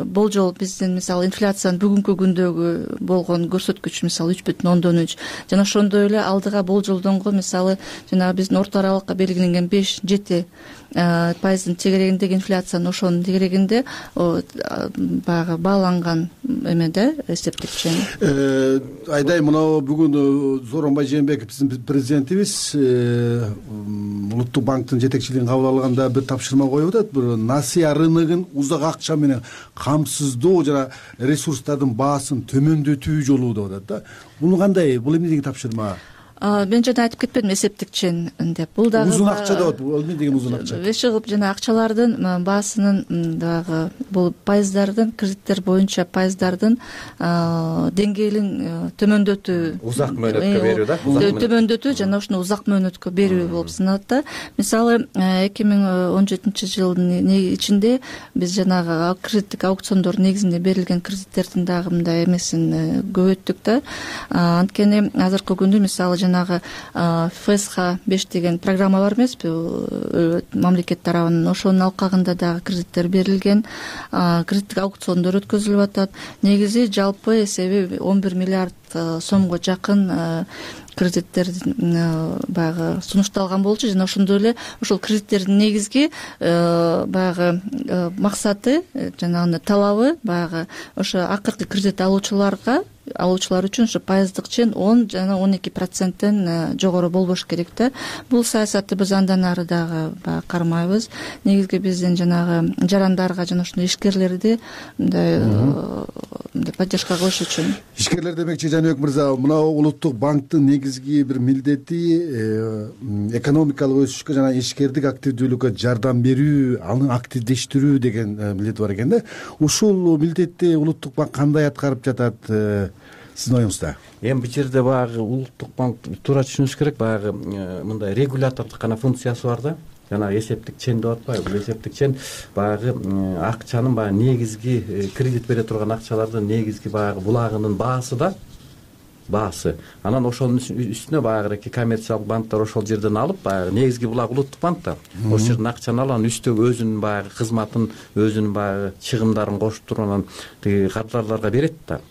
[SPEAKER 5] болжол биздин мисалы инфляциянын бүгүнкү күндөгү болгон көрсөткүч, мисалы үч бүтүн ондон үч жана ошондой эле алдыга болжолдонгон мисалы жанагы биздин орто аралыкка белгиленген беш жети пайыздын тегерегиндеги инфляциянын ошонун тегерегинде баягы бааланган эме да эсептик чен.
[SPEAKER 4] Айдай, мына бүгүн Сооронбай Жээнбеков биздин президентибиз Улуттук банктын жетекчилигин кабыл алганда бир тапшырма коюп атат. Бир насыя рыногун узак акча менен камсыздоо жана ресурстардын баасын төмөндөтүү жолу деп атат да. Бул кандай? Бул эмне деген тапшырма?
[SPEAKER 5] Мен жана айтып кетпедимби эсептик чен деп. Бул дагы
[SPEAKER 4] узун акча деп атат. Бул эмне деген узун акча?
[SPEAKER 5] Эч кылып жана акчалардын баасынын дагы бул пайыздардын, кредиттер боюнча пайыздардын деңгээлин төмөндөтүү,
[SPEAKER 6] узак мөөнөткө берүү да.
[SPEAKER 5] Төмөндөтүү жана ушуну узак мөөнөткө берүү болуп саналат да. Мисалы, эки миң он жетинчи жылдын ичинде биз жанагы кредиттик аукциондор негизинде берилген кредиттердин дагы мындай эмесин көбөйттүк да. Анткени азыркы күндө мисалы жанагы эф эс ха беш деген программа бар эмеспи, мамлекет тарабынан. Ошонун алкагында дагы кредиттер берилген, кредиттик аукциондор өткөзүлүп атат. Негизи жалпы эсеби он бир миллиард сомго жакын кредиттер баягы сунушталган болчу жана ошондой эле ошол кредиттердин негизги баягы максаты жана талабы баягы ошо акыркы кредит алуучуларга алуучулар үчүн ошо пайыздык чен он жана он эки проценттен жогору болбош керек да. Бул саясатты биз андан ары дагы баягы кармайбыз. Негизги биздин жанагы жарандарга жана ушундай ишкерлерди мындай поддержка кылыш үчүн.
[SPEAKER 4] Ишкерлер демекчи, Жаныбек мырза, мына Улуттук банктын негизги бир милдети экономикалык өсүшкө жана ишкердик активдүүлүккө жардам берүү, аны активдештирүү деген милдети бар экен да. Ушул милдетти Улуттук банк кандай аткарып жатат сиздин оюңузда?
[SPEAKER 6] Эми бул жерде баягы Улуттук банк туура түшүнүш керек, баягы мындай регулятордук гана функциясы бар да. Жана эсептик чен деп атпайбы? Бул эсептик чен баягы акчанын баягы негизги кредит бере турган акчалардын негизги баягы булагынын баасы да. Баасы. Анан ошонун үстүнө баягы коммерциялык банктар ошол жерден алып, баягы негизги булак Улуттук банкта. Ошол жерден акчаны алып, анан үстөгө өзүнүн баягы кызматын, өзүнүн баягы чыгымдарын кошуп туруп анан тиги кардарларга берет да.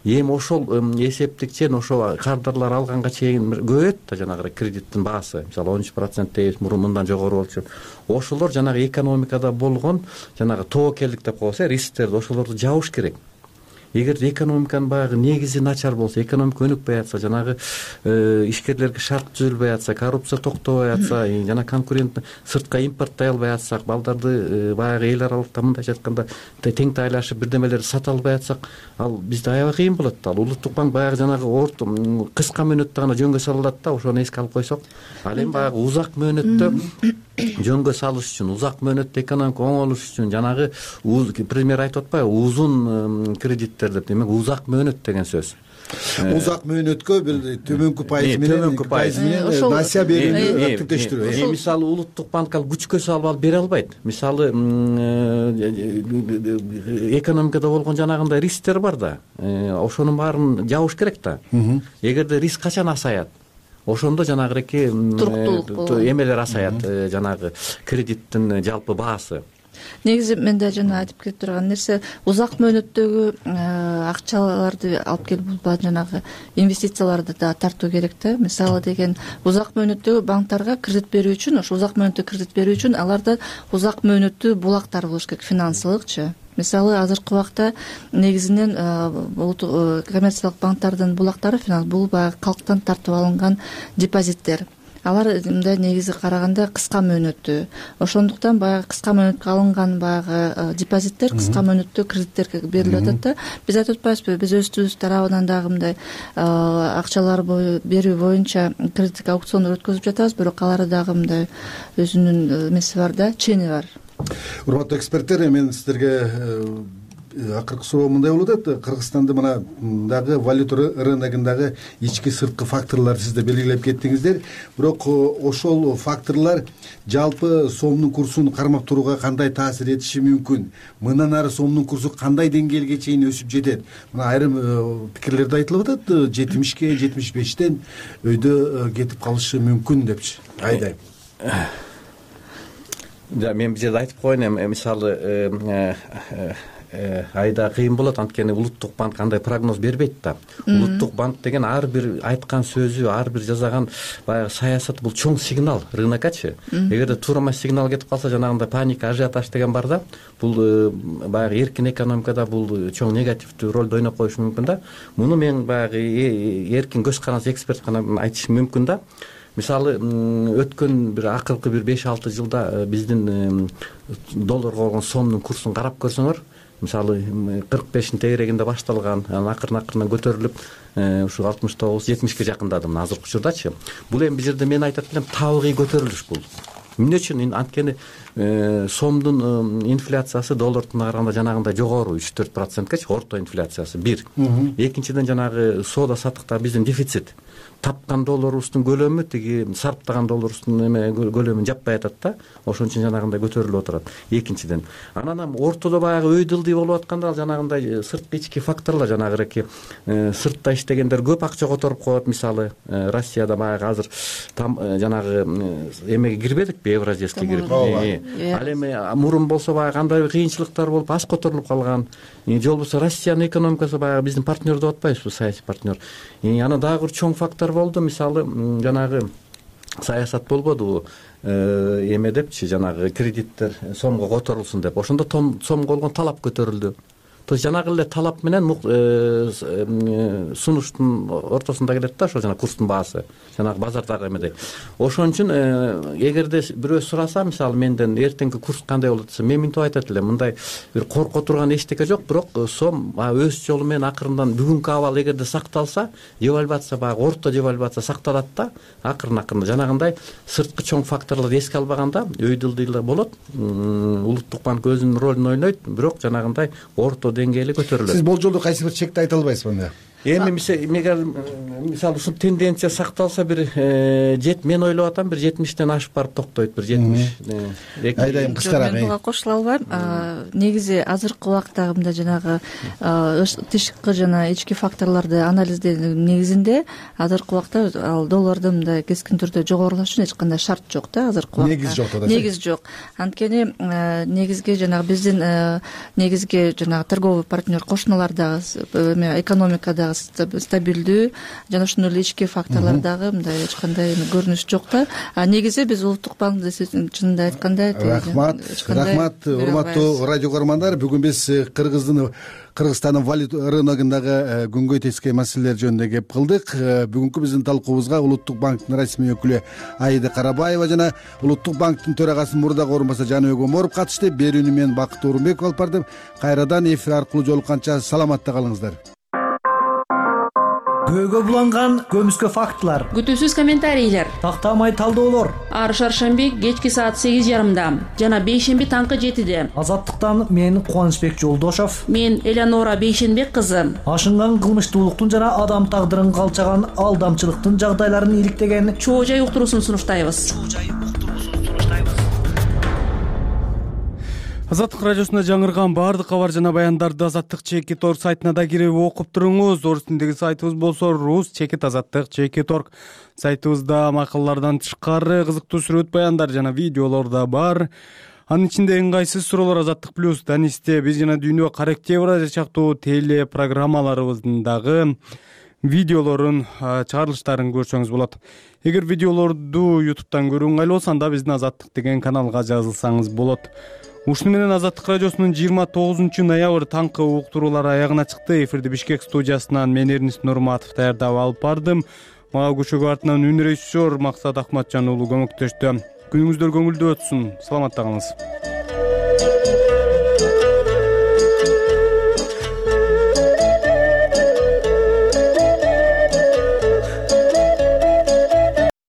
[SPEAKER 6] Эми ошол эсептик чен ошол кардарлар алганга чейин көбөйөт да жанагы кредиттин баасы. Мисалы он үч процент дейбиз, мурун мындан жогору болчу. Ошолор жанагы экономикада болгон жанагы тобокелдик деп коебуз, рисктерди ошолорду жабыш керек. эгерде экономиканын баягы негизи начар болсо, экономика өнүкпөй атса, жанагы ишкерлерге шарт түзүлбөй атса, коррупция токтобой атса, жана конкурент сыртка импорттой албай атсак, балдарды баягы эл аралыкта мындайча айтканда тең тайлашып бирдемелерди сата албай атсак, ал бизде аябай кыйын болот да. Ал улуттук банк баягы жанагы орто кыска мөөнөттө гана жөнгө сала алат да, ошону эске алып койсок. Ал эми баягы узак мөөнөттө жөнгө салыш үчүн, узак мөөнөттө экономика оңолуш үчүн жанагы премьер айтып атпайбы, узун кредиттер деп, демек узак мөөнөт деген сөз.
[SPEAKER 4] Узак мөөнөткө бир төмөнкү пайыз менен төмөнкү пайыз менен насия берүүнү активдештирүү.
[SPEAKER 6] Мисалы улуттук банк ал күчкө салып алып бере албайт. Мисалы экономикада болгон жанагындай рисктер бар да, ошонун баарын жабыш керек да. Эгерде риск качан асаят, ошондо жанагыреки эмелер асаят, жанагы кредиттин жалпы баасы.
[SPEAKER 5] Негизи мен да жана айтып кетип турган нерсе, узак мөөнөттөгү акчаларды алып келип жанагы инвестицияларды да тартуу керек да. Мисалы деген узак мөөнөттөгү банктарга кредит берүү үчүн, ошо узак мөөнөттө кредит берүү үчүн аларда узак мөөнөттүү булактар болуш керек, финансылыкчы. Мисалы азыркы убакта негизинен коммерциялык банктардын булактары бул баягы калктан тартып алынган депозиттер. Алар мындай негизи караганда кыска мөөнөттүү. Ошондуктан баягы кыска мөөнөткө алынган баягы депозиттер кыска мөөнөттүү кредиттерге берилип атат да. Биз айтып атпайбызбы, биз өзүбүз тарабынан дагы мындай акчалар берүү боюнча кредиттик аукциондор өткөзүп жатабыз, бирок алар дагы мындай өзүнүн эмеси бар да, чени бар.
[SPEAKER 4] Урматтуу эксперттер, мен сиздерге акыркы суроо мындай болуп атат. Кыргызстанда мына дагы валюта рыногундагы ички сырткы факторлорду сиз да белгилеп кеттиңиздер. Бирок ошол факторлор жалпы сомдун курсун кармап турууга кандай таасир этиши мүмкүн? Мындан ары сомдун курсу кандай деңгээлге чейин өсүп жетет? Мына айрым пикирлерде айтылып атат, жетимишке, жетимиш бештен өйдө кетип калышы мүмкүн депчи. Айдай.
[SPEAKER 6] Мен бул жерде айтып коеюн, эми мисалы айда кыйын болот, анткени улуттук банк кандай прогноз бербейт да. Улуттук банк деген ар бир айткан сөзү, ар бир жасаган баягы саясат бул чоң сигнал рыноккачы. Эгерде туура эмес сигнал кетип калса, жанагындай паника, ажиотаж деген бар да, бул баягы эркин экономикада бул чоң негативдүү ролду ойноп коюшу мүмкүн да. Муну мен баягы эркин көз карандысыз эксперт гана айтышым мүмкүн да. Мисалы өткөн бир акыркы бир беш алты жылда биздин долларга болгон сомдун курсун карап көрсөңөр, мисалы кырк бештин тегерегинде башталган, анан акырын акырын көтөрүлүп ушу алтымыш тогуз жетимишке жакындады мына азыркы учурдачы. Бул эми бул жерде мен айтат элем, табигый көтөрүлүш бул. Эмне үчүн? Анткени сомдун инфляциясы доллардын караганда жанагындай жогору үч төрт проценткечи, орто инфляциясы бир. Экинчиден жанагы соода саттыкта биздин дефицит. Тапкан долларыбыздын көлөмү тиги сарптаган долларыбыздын эме көлөмүн жаппай атат да. Ошон үчүн жанагындай көтөрүлүп отурат. Экинчиден, анан ортодо баягы өй дылдый болуп атканда ал жанагындай сырткы ички факторлор, жанагыреки сыртта иштегендер көп акча которуп коет. Мисалы Россияда баягы азыр жанагы эмеге кирбедикпи, Евразийский кирип. Ал эми мурун болсо баягы кандай кыйынчылыктар болуп аз которулуп калган. Же болбосо Россиянын экономикасы баягы биздин партнер деп атпайбызбы, саясий партнер. Анан дагы бир чоң фактор болду. Мисалы жанагы саясат болбодубу, эме депчи, жанагы кредиттер сомго которулсун деп. Ошондо сомго болгон талап көтөрүлдү. То есть жанагы эле талап менен сунуштун ортосунда келет да, ошо жана курстун баасы, жанагы базардагы эмедей. Ошон үчүн эгерде бирөө сураса, мисалы менден эртеңки курс кандай болот десе, мен мынтип айтат элем, мындай бир корко турган эчтеке жок, бирок сом өз жолу менен акырындан бүгүнкү абал эгерде сакталса, девальвация баягы орто девальвация сакталат да, акырын-акырын жанагындай сырткы чоң факторлорду эске албаганда өй дылдыйлар болот. Улуттук банк өзүнүн ролун ойнойт, бирок жанагындай орто деңгээли көтөрүлөт.
[SPEAKER 4] Сиз болжолдо кайсы бир чекти айта албайсызбы анда?
[SPEAKER 6] Эми мисалы ушул тенденция сакталса, бир жет мен ойлоп атам, бир жетимиштен ашып барып токтойт, бир жетимиш.
[SPEAKER 4] Айдайым кыскараак.
[SPEAKER 5] Мен буга кошула албайм. Негизи азыркы убакта мындай жанагы тышкы жана ички факторлорду анализдеүүнүн негизинде азыркы убакта ал доллардын мындай кескин түрдө жогорулашына эч кандай шарт жок да, азыркы убакта.
[SPEAKER 4] Негиз жок да.
[SPEAKER 5] Негиз жок. Анткени негизги жанагы биздин негизги жанагы торговый партнер кошуналар дагы, экономикадагы дагы стабилдүү жана ошондой эле ички факторлор дагы мындай эч кандай көрүнүш жок да. А негизи биз улуттук банк чынында айтканда
[SPEAKER 4] рахмат рахмат урматтуу радио көрөрмандар, бүгүн биз кыргыздын Кыргызстандын валюта рыногундагы күнгөй тескей маселелер жөнүндө кеп кылдык. Бүгүнкү биздин талкуубузга Улуттук банктын расмий өкүлү Аида Карабаева жана Улуттук банктын төрагасынын мурдагы орун басары Жаныбек Оморов катышты. Берүүнү мен Бакыт Орунбеков алып бардым. Кайрадан эфир аркылуу жолукканча саламатта калыңыздар.
[SPEAKER 8] Көөгө буланган көмүскө фактылар,
[SPEAKER 7] күтүүсүз комментарийлер,
[SPEAKER 8] тактамай талдоолор
[SPEAKER 7] ар шаршемби кечки саат сегиз жарымда жана бейшемби таңкы жетиде.
[SPEAKER 8] Азаттыктан мен Кубанычбек Жолдошов,
[SPEAKER 7] мен Элеонора Бейшенбек кызы.
[SPEAKER 8] Ашынган кылмыштуулуктун жана адам тагдырын калчаган алдамчылыктын жагдайларын иликтеген
[SPEAKER 7] чоо жай уктуруусун сунуштайбыз.
[SPEAKER 1] Азаттык радиосунда жаңырган баардык кабар жана баяндарды Азаттык чекит орг сайтына да кирип окуп туруңуз. Орус тилиндеги сайтыбыз болсо рус чекит азаттык чекит орг. Сайтыбызда макалалардан тышкары кызыктуу сүрөт баяндар жана видеолор да бар. Анын ичинде ыңгайсыз суроолор, Азаттык плюс, Данисте, биз жана дүйнө, Кара Октябрь сыяктуу теле программаларыбыздын дагы видеолорун чыгарылыштарын көрсөңүз болот. Эгер видеолорду ютубтан көрүү ыңгайлуу болсо, анда биздин Азаттык деген каналга жазылсаңыз болот. Ушуну менен Азаттык радиосунун жыйырма тогузунчу ноябрь таңкы уктуруулары аягына чыкты. Эфирди Бишкек студиясынан мен Эрнис Нурматов даярдап алып бардым. Мага көчөгө артынан үн режиссер Максат Акматжан уулу көмөктөштү. Күнүңүздөр көңүлдүү өтсүн. Саламатта калыңыз.